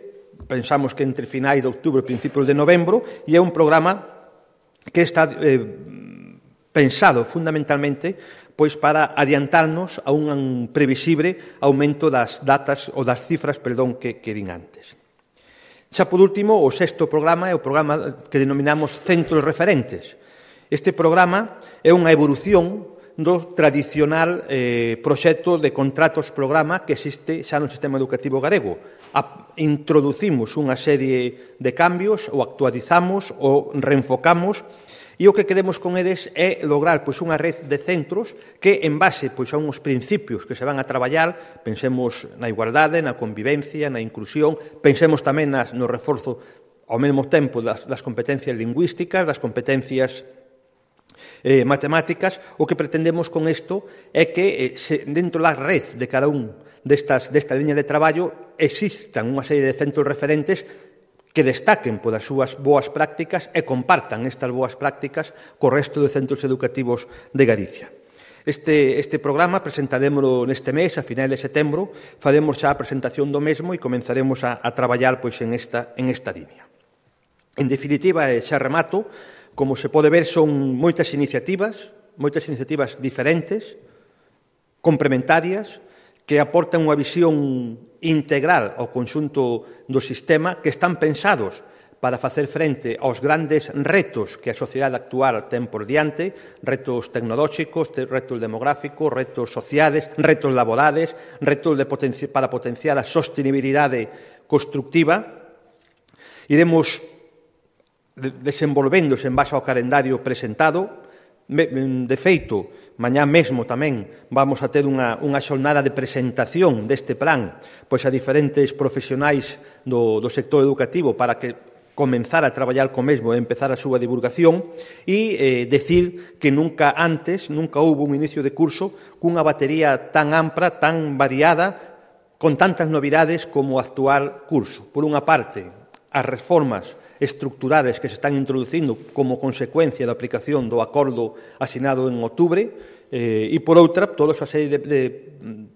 pensamos que entre finais de outubro e principios de novembro, e é un programa que está pensado fundamentalmente pois para adiantarnos a un previsible aumento das datas ou das cifras, que din antes. Xa por último, o sexto programa é o programa que denominamos Centros Referentes. Este programa é unha evolución do tradicional proxecto de contratos-programa que existe xa no sistema educativo galego. Introducimos unha serie de cambios, ou actualizamos, ou reenfocamos, e o que queremos con eles é lograr unha red de centros que, en base a uns principios que se van a traballar, pensemos na igualdade, na convivencia, na inclusión, pensemos tamén no reforzo ao mesmo tempo das competencias lingüísticas, das competencias matemáticas. O que pretendemos con isto é que dentro da red de cada desta liña de traballo existan unha serie de centros referentes que destaquen polas súas boas prácticas e compartan estas boas prácticas co resto de centros educativos de Galicia. Este programa presentarémolo neste mes, a finais de setembro, faremos xa a presentación do mesmo e comenzaremos a traballar en esta liña. En definitiva, xa remato, como se pode ver, son moitas iniciativas diferentes, complementarias, que aportan unha visión integral ao conxunto do sistema, que están pensados para facer frente aos grandes retos que a sociedade actual ten por diante, retos tecnolóxicos, retos demográficos, retos sociales, retos laborales, retos para potenciar a sostenibilidade constructiva. Iremos desenvolvéndose en base ao calendario presentado. De feito, mañá mesmo tamén vamos a ter unha xornada de presentación deste plan a diferentes profesionais do sector educativo para que comenzar a traballar co mesmo e empezar a súa divulgación, e decir que nunca houbo un inicio de curso cunha batería tan ampla, tan variada, con tantas novidades como o actual curso. Por unha parte, as reformas estructurales que se están introducindo como consecuencia da aplicación do acordo asinado en outubro, e, por outra, toda a serie de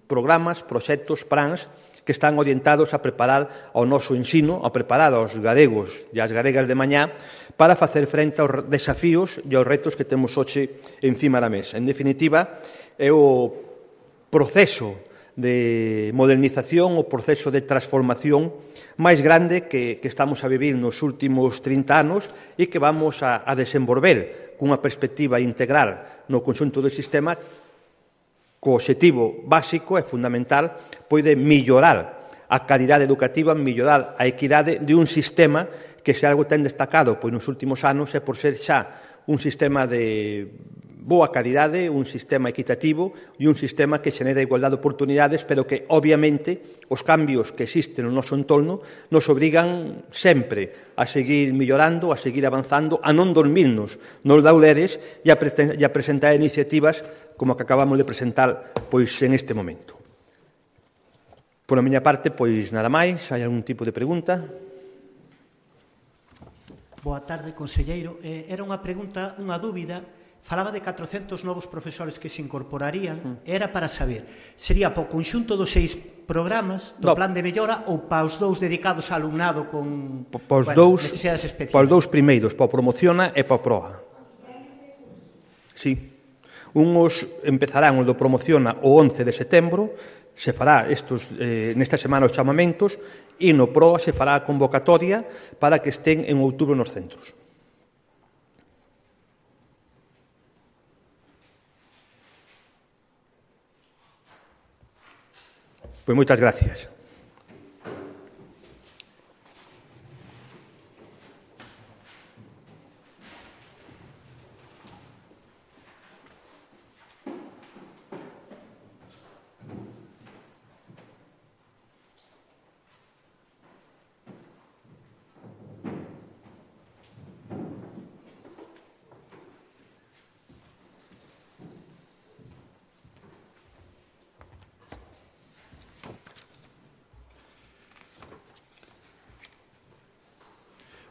programas, proxectos, plans que están orientados a preparar ao noso ensino, a preparar aos galegos e as galegas de mañá para facer frente aos desafíos e aos retos que temos hoxe encima da mesa. En definitiva, é o proceso de modernización, o proceso de transformación máis grande que estamos a vivir nos últimos 30 anos e que vamos a desenvolver cunha perspectiva integral no conxunto do sistema, co obxectivo básico e fundamental de mellorar a calidade educativa, mellorar a equidade de un sistema que, se algo ten destacado nos últimos anos, é por ser xa un sistema boa calidade, un sistema equitativo e un sistema que xenera igualdade de oportunidades, pero que, obviamente, os cambios que existen no noso entorno nos obrigan sempre a seguir millorando, a seguir avanzando, a non dormirnos nos laureles e a presentar iniciativas como a que acabamos de presentar pois en este momento. Por a miña parte, pois nada máis. Hai algún tipo de pregunta? Boa tarde, conselleiro. Era unha pregunta, unha dúbida. Falaba de 400 novos profesores que se incorporarían. Era para saber, sería para o conxunto dos 6 programas do plan de mellora ou para os 2 dedicados ao alumnado con necesidades especiais? Para os 2 primeiros, para o Promociona e para o PROA. Sí. Uns empezarán o do Promociona o 11 de setembro, se fará nesta semana os chamamentos, e no PROA se fará a convocatoria para que estén en outubro nos centros. Pois moitas gracias.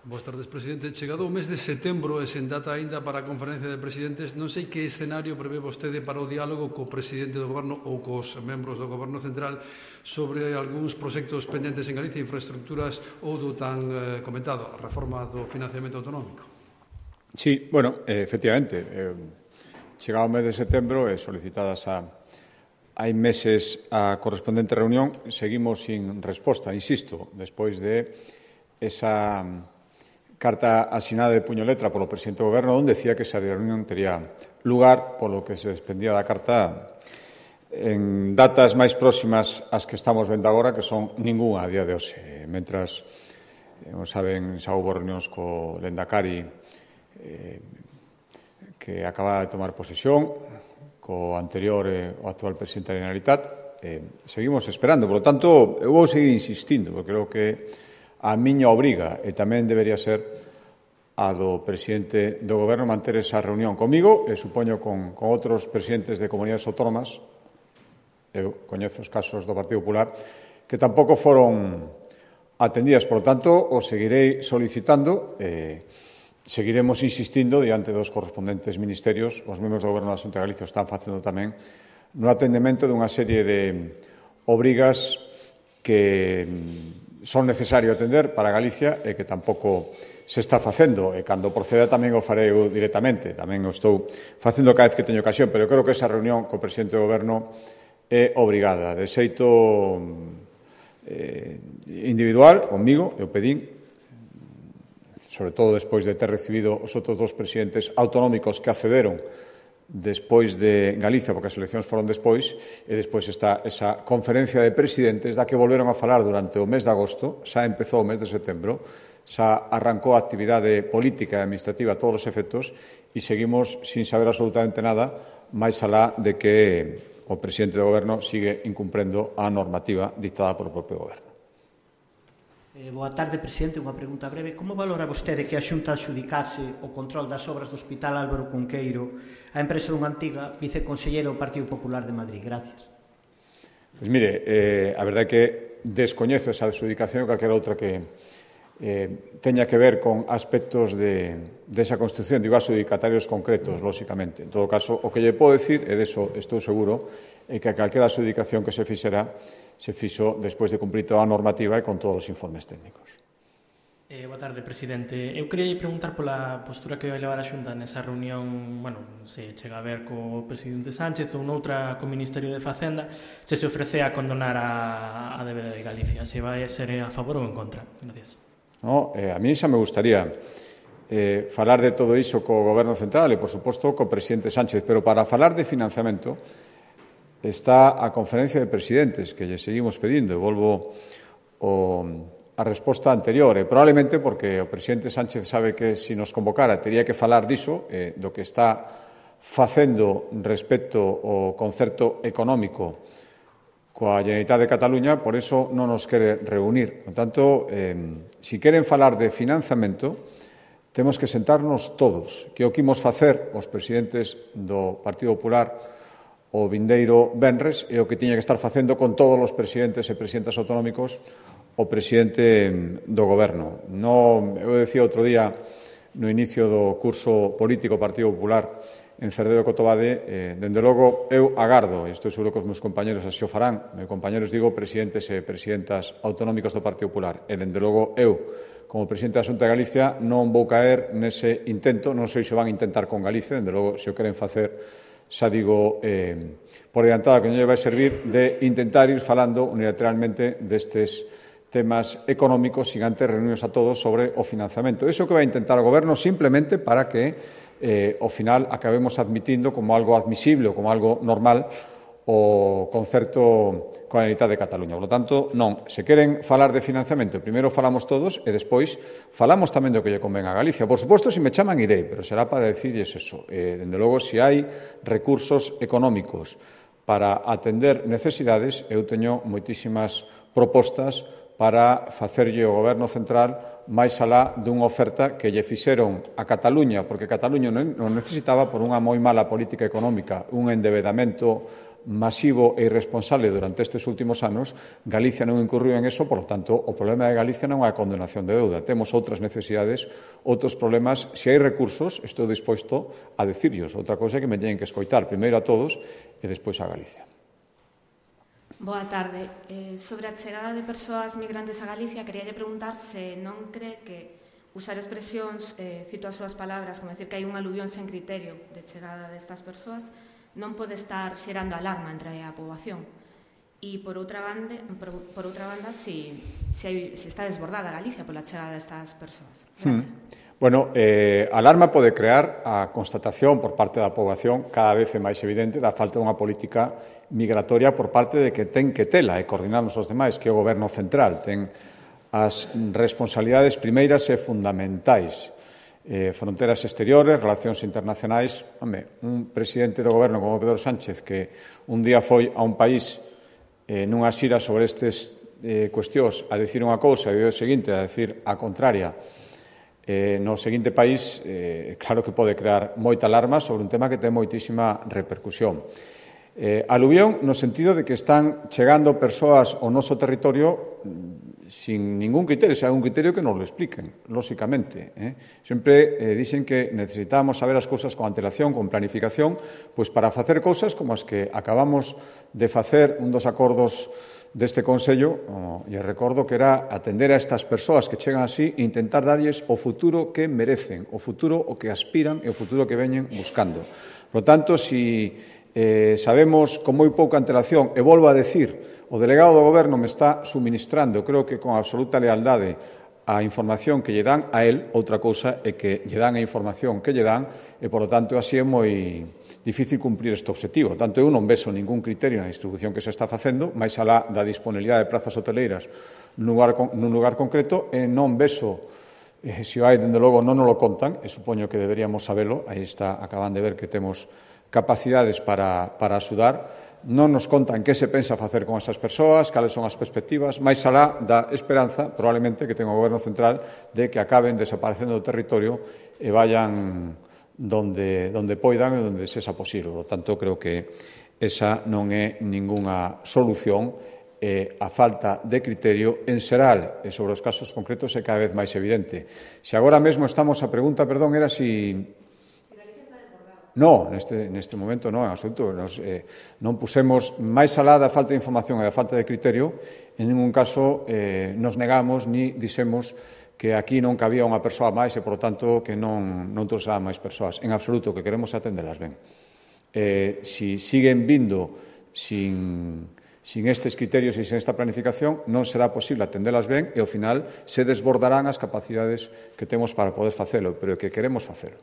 Boas tardes, presidente. Chegado o mes de setembro e sen data aínda para a conferencia de presidentes, non sei que escenario prevé vostede para o diálogo co presidente do goberno ou cos membros do goberno central sobre algúns proxectos pendentes en Galicia, infraestructuras ou do tan comentado, a reforma do financiamento autonómico. Sí, bueno, efectivamente, chegado o mes de setembro e solicitadas hai meses a correspondente reunión, seguimos sin resposta, insisto, despois de esa carta asinada de puño e letra polo presidente do goberno, onde decía que esa reunión tería lugar, polo que se desprendía da carta, en datas máis próximas ás que estamos vendo agora, que son ningunha a día de hoxe. Mentras, saben, xa houve reunións co Lendakari que acaba de tomar posesión, co anterior o actual presidente da Generalitat, seguimos esperando. Por lo tanto, eu vou seguir insistindo, porque creo que a miña obriga, e tamén debería ser a do presidente do goberno, manter esa reunión comigo e supoño con outros presidentes de comunidades autónomas, eu coñezo os casos do Partido Popular, que tampouco foron atendidas. Por lo tanto, o seguirei solicitando e seguiremos insistindo diante dos correspondentes ministerios. Os membros do goberno da Xunta de Galicia están facendo tamén no atendemento dunha serie de obrigas que son necesario atender para Galicia e que tampouco se está facendo. E cando proceda tamén o farei eu directamente. Tamén o estou facendo cada vez que teño ocasión, pero creo que esa reunión co presidente do goberno é obrigada. De xeito individual, comigo, eu pedín, sobre todo despois de ter recibido os outros 2 presidentes autonómicos que accederon despois de Galicia, porque as eleccións foron despois, e despois está esa conferencia de presidentes da que volveron a falar durante o mes de agosto, xa empezou o mes de setembro, xa arrancou a actividade política e administrativa a todos os efectos e seguimos sin saber absolutamente nada, máis alá de que o presidente do goberno sigue incumprendo a normativa dictada por o propio goberno. Boa tarde, presidente. Unha pregunta breve. Como valora vostede que a Xunta adxudicase o control das obras do Hospital Álvaro Cunqueiro a empresa dunha antiga viceconsellera do Partido Popular de Madrid? Gracias. Pois mire, a verdade é que descoñezo esa adxudicación, calquera outra que teña que ver con aspectos desa construcción, digo, adxudicatarios concretos, lóxicamente. En todo caso, o que lle podo decir, e deso estou seguro, é que calquera adxudicación que se fixera se fixo despois de cumprir toda a normativa e con todos os informes técnicos. Boa tarde, presidente. Eu queria preguntar pola postura que vai levar a Xunta nesa reunión, se chega a ver co presidente Sánchez ou noutra co Ministerio de Facenda, se ofrece a condonar a débeda de Galicia, se vai ser a favor ou en contra. Gracias. A mí xa me gustaría falar de todo iso co Goberno Central e, por suposto, co presidente Sánchez, pero para falar de financiamento está a conferencia de presidentes que lle seguimos pedindo, e volvo a resposta anterior, e probablemente porque o presidente Sánchez sabe que se nos convocara tería que falar diso, do que está facendo respecto ao concerto económico coa Generalitat de Cataluña, por eso non nos quere reunir. Por tanto, se queren falar de financiamento, temos que sentarnos todos, que o que imos facer os presidentes do Partido Popular o vindeiro venres e o que tiña que estar facendo con todos os presidentes e presidentas autonómicos o presidente do Goberno. Eu decía outro día no inicio do curso político Partido Popular en Cerdedo Cotobade, dende logo eu agardo, e estou seguro que os meus compañeros así o farán, meus compañeros digo presidentes e presidentas autonómicos do Partido Popular, e dende logo eu, como presidente da Xunta de Galicia, non vou caer nese intento, non sei se van intentar con Galicia, dende logo se o queren facer, xa digo por adiantado que non lle vai servir de intentar ir falando unilateralmente destes temas económicos sin antes reunirnos a todos sobre o financiamento. Iso que vai intentar o Goberno simplemente para que ao final acabemos admitindo como algo admisible ou como algo normal o concerto coa Generalitat de Cataluña. Por lo tanto, non, se queren falar de financiamento, primeiro falamos todos e despois falamos tamén do que lle convén a Galicia. Por suposto, se me chaman irei, pero será para decirles eso. Dende logo, se hai recursos económicos para atender necesidades, eu teño moitísimas propostas para facerlle ao Goberno central máis alá dunha oferta que lle fixeron a Cataluña, porque Cataluña non necesitaba por unha moi mala política económica, un endebedamento masivo e irresponsable durante estes últimos anos. Galicia non incurriu en eso, por lo tanto, o problema de Galicia non é a condenación de deuda. Temos outras necesidades, outros problemas. Se hai recursos, estou disposto a decirlos. Outra cousa é que me teñen que escoitar, primeiro a todos e despois a Galicia. Boa tarde. Sobre a chegada de persoas migrantes a Galicia, queríalle preguntar se non cree que usar expresións, cito as súas palabras, como decir que hai un aluvión sen criterio de chegada destas persoas, non pode estar xerando alarma entre a poboación. E, por outra banda, si está desbordada Galicia pola chegada destas persoas. Gracias. Bueno, alarma pode crear a constatación por parte da poboación cada vez é máis evidente da falta dunha política migratoria por parte de que ten que tela e coordinarnos os demais, que o Goberno central ten as responsabilidades primeiras e fundamentais. Fronteras exteriores, relacións internacionais. Un presidente do Goberno como Pedro Sánchez que un día foi a un país nunha xira sobre estes cuestións a decir unha cousa e o seguinte a decir a contraria no seguinte país, claro que pode crear moita alarma sobre un tema que ten moitísima repercusión. Aluvión no sentido de que están chegando persoas ao noso territorio sin ningún criterio, se hai un criterio que nos lo expliquen, lóxicamente. Sempre dicen que necesitamos saber as cousas con antelación, con planificación, pois para facer cousas como as que acabamos de facer un dos acordos deste Consello, e recordo que era atender a estas persoas que chegan así e intentar darlles o futuro que merecen, o futuro o que aspiran e o futuro que veñen buscando. Por lo tanto, si sabemos con moi pouca antelación, e volvo a decir, o delegado do Goberno me está suministrando, creo que con absoluta lealdade, a información que lle dan a él, outra cousa é que lle dan a información que lle dan, e, por lo tanto, así é moi difícil cumprir este objetivo. Tanto eu non vexo ningún criterio na distribución que se está facendo, máis alá da disponibilidade de plazas hoteleiras nun lugar concreto, e non vexo, se o hai, dende logo, non nos lo contan, e supoño que deberíamos sabelo, aí está, acaban de ver que temos capacidades para axudar, non nos contan que se pensa facer con esas persoas, cales son as perspectivas, máis alá da esperanza, probablemente, que ten o Goberno central de que acaben desaparecendo do territorio e vayan donde poidan e donde sexa posible. Por tanto, creo que esa non é ningunha solución. A falta de criterio en xeral e sobre os casos concretos é cada vez máis evidente. Se agora mesmo estamos, a pregunta, perdón, era si Galicia está desbordada. No, neste momento non, en absoluto. Non pusemos máis alá da falta de información e da falta de criterio, en ningún caso nos negamos ni dixemos que aquí non cabía unha persoa máis e, por tanto, que non trouxerán máis persoas. En absoluto, que queremos atendelas ben. Si siguen vindo sin estes criterios e sin esta planificación, non será posible atendelas ben e, ao final, se desbordarán as capacidades que temos para poder facelo, pero que queremos facelo.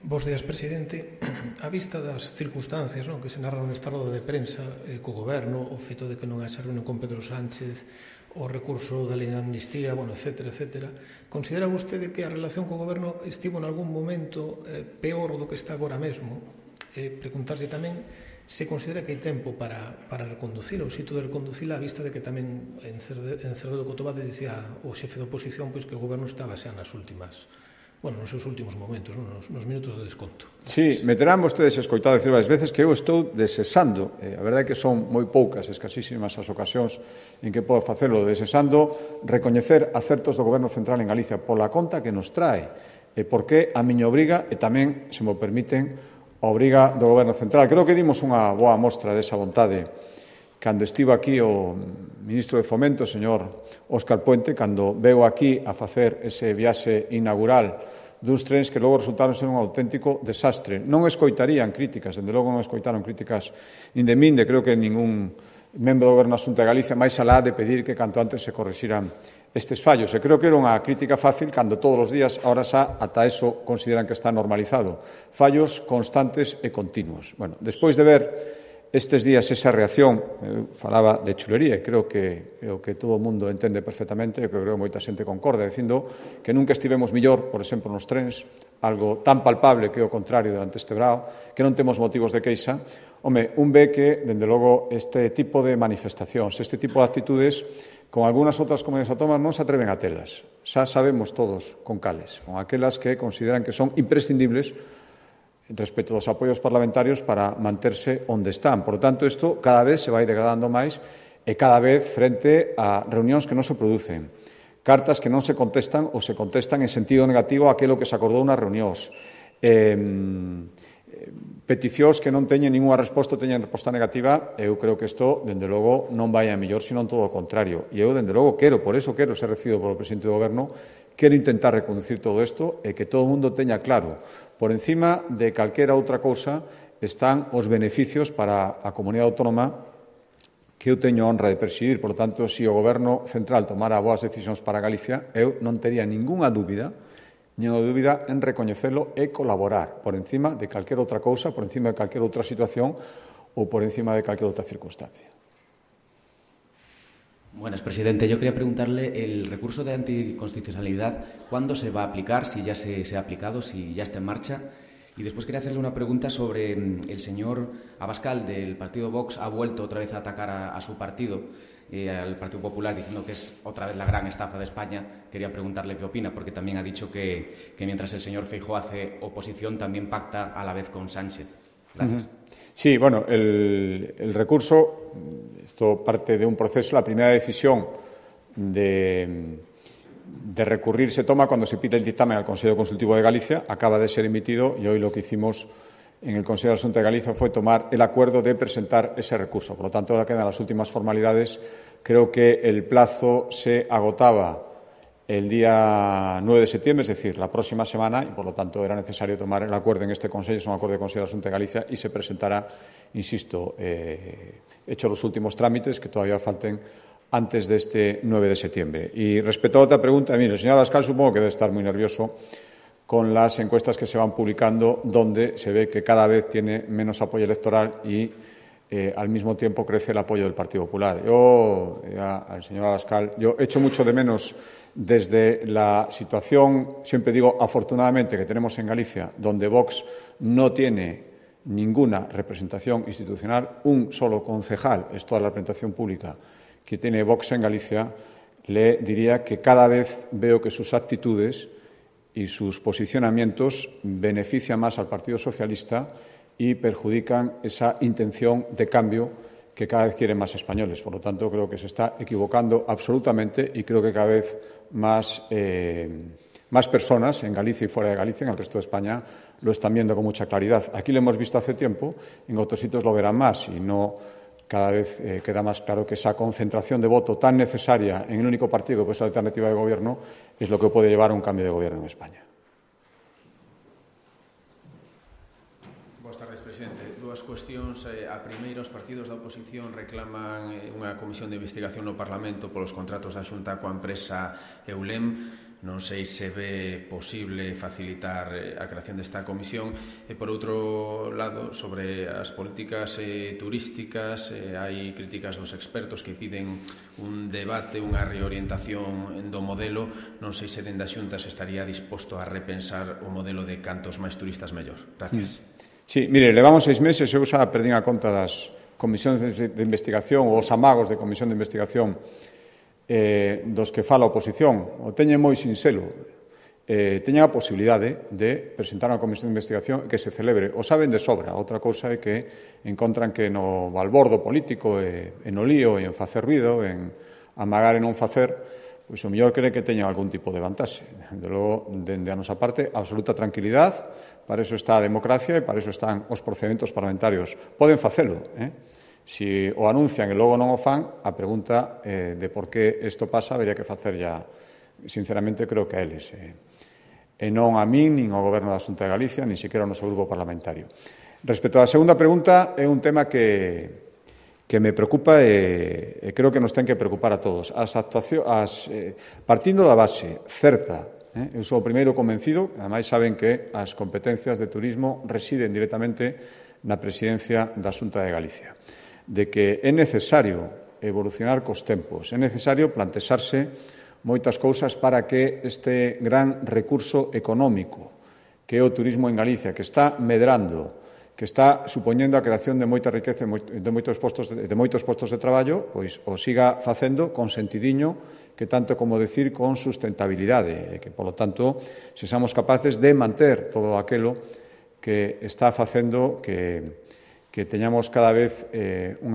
Bos días, presidente. A vista das circunstancias que se narran nesta roda de prensa co Goberno, o feito de que non haxa reunión con Pedro Sánchez, o recurso da lei de amnistía, bueno, etcétera, etcétera. Considera vostede que a relación co goberno estivo en algún momento peor do que está agora mesmo? Preguntarse tamén se considera que hai tempo para reconducir o sitio de reconducir a vista de que tamén en Cerdedo Cotobade dicía o xefe da oposición pois que o goberno estaba xa nos seus últimos momentos, nos minutos de desconto. Sí, me terán vostedes escoitado decir varias veces que eu estou desexando, a verdade é que son moi poucas, escasísimas as ocasións en que podo facelo, desexando recoñecer acertos do Goberno Central en Galicia pola conta que nos trae, porque a miña obriga e tamén, se mo permiten, a obriga do Goberno Central. Creo que dimos unha boa mostra desa vontade cando estivo aquí o ministro de Fomento, o señor Óscar Puente, cando veu aquí a facer ese viaxe inaugural duns trens que logo resultaron ser un auténtico desastre. Non escoitarían críticas, dende logo non escoitaron críticas nin de min, creo que ningún membro do Goberno da Xunta de Galicia, máis alá de pedir que canto antes se corrixiran estes fallos. E creo que era unha crítica fácil cando todos os días, ahora xa, ata eso consideran que está normalizado. Fallos constantes e continuos. Bueno, despois de ver estes días esa reacción, eu falaba de chulería e creo que o que todo o mundo entende perfectamente e que creo que moita xente concorda, dicindo que nunca estivemos millor, por exemplo, nos trens, algo tan palpable que o contrario durante este verao, que non temos motivos de queixa. Home, un ve que, dende logo, este tipo de manifestacións, este tipo de actitudes, con algunhas outras comunidades autónomas non se atreven a telas. Xa sabemos todos con cales, con aquelas que consideran que son imprescindibles respecto dos apoios parlamentarios para manterse onde están. Por lo tanto, isto cada vez se vai degradando máis e cada vez frente a reunións que non se producen, cartas que non se contestan ou se contestan en sentido negativo a aquilo que se acordou nas reunións, peticións que non teñen ninguna resposta, teñen resposta negativa. Eu creo que isto, dende logo, non vai a mellor, sino todo o contrario. E eu, dende logo, por eso quero ser recibido polo presidente do Goberno, quero intentar reconducir todo isto e que todo o mundo teña claro, por encima de calquera outra cousa, están os beneficios para a comunidade autónoma que eu teño a honra de presidir. Por lo tanto, se o Goberno Central tomara boas decisións para Galicia, eu non tería ningunha dúbida en recoñecelo e colaborar por encima de calquera outra cousa, por encima de calquera outra situación ou por encima de calquera outra circunstancia. Buenas, presidente. Yo quería preguntarle el recurso de anticonstitucionalidad, ¿cuándo se va a aplicar? Si ya se ha aplicado, si ya está en marcha. Y después quería hacerle una pregunta sobre el señor Abascal del partido Vox. Ha vuelto otra vez a atacar a su partido, al Partido Popular, diciendo que es otra vez la gran estafa de España. Quería preguntarle qué opina, porque también ha dicho que mientras el señor Feijóo hace oposición, también pacta a la vez con Sánchez. Gracias. Sí, bueno, el recurso, esto parte de un proceso. La primera decisión de recurrir se toma cuando se pide el dictamen al Consejo Consultivo de Galicia. Acaba de ser emitido y hoy lo que hicimos en el Consejo de Asuntos de Galicia fue tomar el acuerdo de presentar ese recurso. Por lo tanto, ahora quedan las últimas formalidades. Creo que el plazo se agotaba el día 9 de septiembre, es decir, la próxima semana, y por lo tanto era necesario tomar el acuerdo en este Consejo, es un acuerdo de Consejo de Asuntos de Galicia, y se presentará, insisto, hecho los últimos trámites que todavía falten antes de este 9 de septiembre. Y respecto a otra pregunta, mire, el señor Abascal supongo que debe estar muy nervioso con las encuestas que se van publicando, donde se ve que cada vez tiene menos apoyo electoral y al mismo tiempo crece el apoyo del Partido Popular. Yo, al señor Abascal, yo echo mucho de menos desde la situación, siempre digo afortunadamente, que tenemos en Galicia, donde Vox no tiene ninguna representación institucional, un solo concejal, es toda la representación pública que tiene Vox en Galicia, le diría que cada vez veo que sus actitudes y sus posicionamientos benefician más al Partido Socialista y perjudican esa intención de cambio que cada vez quieren más españoles. Por lo tanto, creo que se está equivocando absolutamente y creo que cada vez más personas en Galicia y fuera de Galicia, en el resto de España, lo están viendo con mucha claridad. Aquí lo hemos visto hace tiempo, en otros sitios lo verán más y no cada vez queda más claro que esa concentración de voto tan necesaria en el único partido que puede ser la alternativa de gobierno es lo que puede llevar a un cambio de gobierno en España. Boas tardes, presidente. Dúas cuestións. A primeira, os partidos da oposición reclaman unha comisión de investigación no Parlamento polos contratos da Xunta coa empresa Eulem. Non sei se ve posible facilitar a creación desta comisión. E, por outro lado, sobre as políticas turísticas, hai críticas dos expertos que piden un debate, unha reorientación do modelo. Non sei se dende a Xunta se estaría disposto a repensar o modelo de cantos máis turistas mellor. Gracias. Sí, mire, levamos 6 meses, eu xa perdín a conta das comisións de investigación ou os amagos de comisión de investigación dos que fala a oposición. O teñen moi sinxelo. Teñen a posibilidade de presentar unha comisión de investigación que se celebre. O saben de sobra. Outra cousa é que encontran que no balbordo político e no lío e en facer ruido, en amagar e non facer, pois o mellor cree que teñen algún tipo de vantaxe. Desde logo, dende a nosa parte, absoluta tranquilidade. Para eso está a democracia e para eso están os procedementos parlamentarios. Poden facelo, Si o anuncian e logo non o fan, a pregunta de por que isto pasa habería que facer ya, sinceramente, creo que a eles. E non a min, nin ao Goberno da Xunta de Galicia, nin sequera ao noso grupo parlamentario. Respecto á segunda pregunta, é un tema que me preocupa e creo que nos ten que preocupar a todos. Partindo da base certa, eu sou o primeiro convencido, ademais saben que as competencias de turismo residen directamente na presidencia da Xunta de Galicia, de que é necesario evolucionar cos tempos, é necesario plantexarse moitas cousas para que este gran recurso económico que é o turismo en Galicia, que está medrando, que está supoñendo a creación de moita riqueza de moitos postos de traballo, pois o siga facendo con sentidiño, que tanto como decir con sustentabilidade, e que, polo tanto, sexamos capaces de manter todo aquilo que está facendo que teñamos cada vez un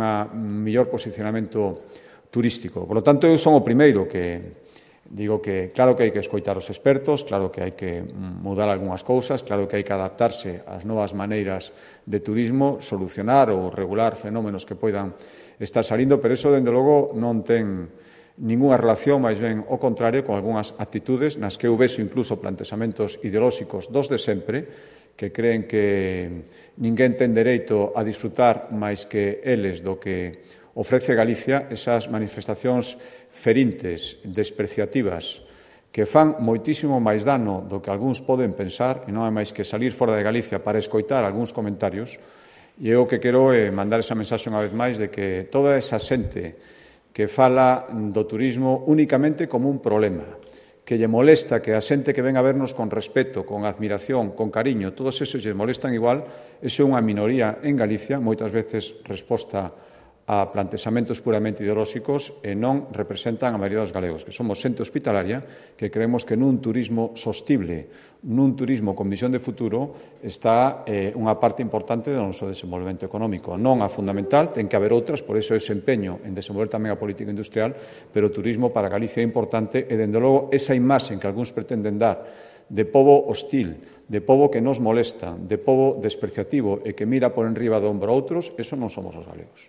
mellor posicionamento turístico. Por lo tanto, eu son o primeiro que digo que claro que hai que escoitar os expertos, claro que hai que mudar algunhas cousas, claro que hai que adaptarse ás novas maneiras de turismo, solucionar ou regular fenómenos que poidan estar salindo, pero iso, dende logo, non ten ningunha relación, máis ben o contrario, con algunhas actitudes nas que eu vexo incluso plantexamentos ideolóxicos dos de sempre, que creen que ninguén ten dereito a disfrutar máis que eles do que ofrece Galicia, esas manifestacións ferintes, despreciativas, que fan moitísimo máis dano do que algúns poden pensar, e non é máis que salir fora de Galicia para escoitar algúns comentarios, e eu que quero mandar esa mensaxe unha vez máis de que toda esa xente que fala do turismo únicamente como un problema, que lle molesta que a xente que ven a vernos con respeto, con admiración, con cariño, todos esos lle molestan igual, eso é unha minoría en Galicia, moitas veces resposta a plantexamentos puramente ideolóxicos e non representan a maioría dos galegos, que somos xente hospitalaria, que creemos que nun turismo sostible, nun turismo con visión de futuro, está unha parte importante do noso desenvolvemento económico. Non a fundamental, ten que haber outras, por iso ese empeño en desenvolver tamén a política industrial, pero o turismo para Galicia é importante e, dende logo, esa imaxe que algúns pretenden dar de pobo hostil, de pobo que nos molesta, de pobo despreciativo e que mira por enriba do ombro a outros, eso non somos os galegos.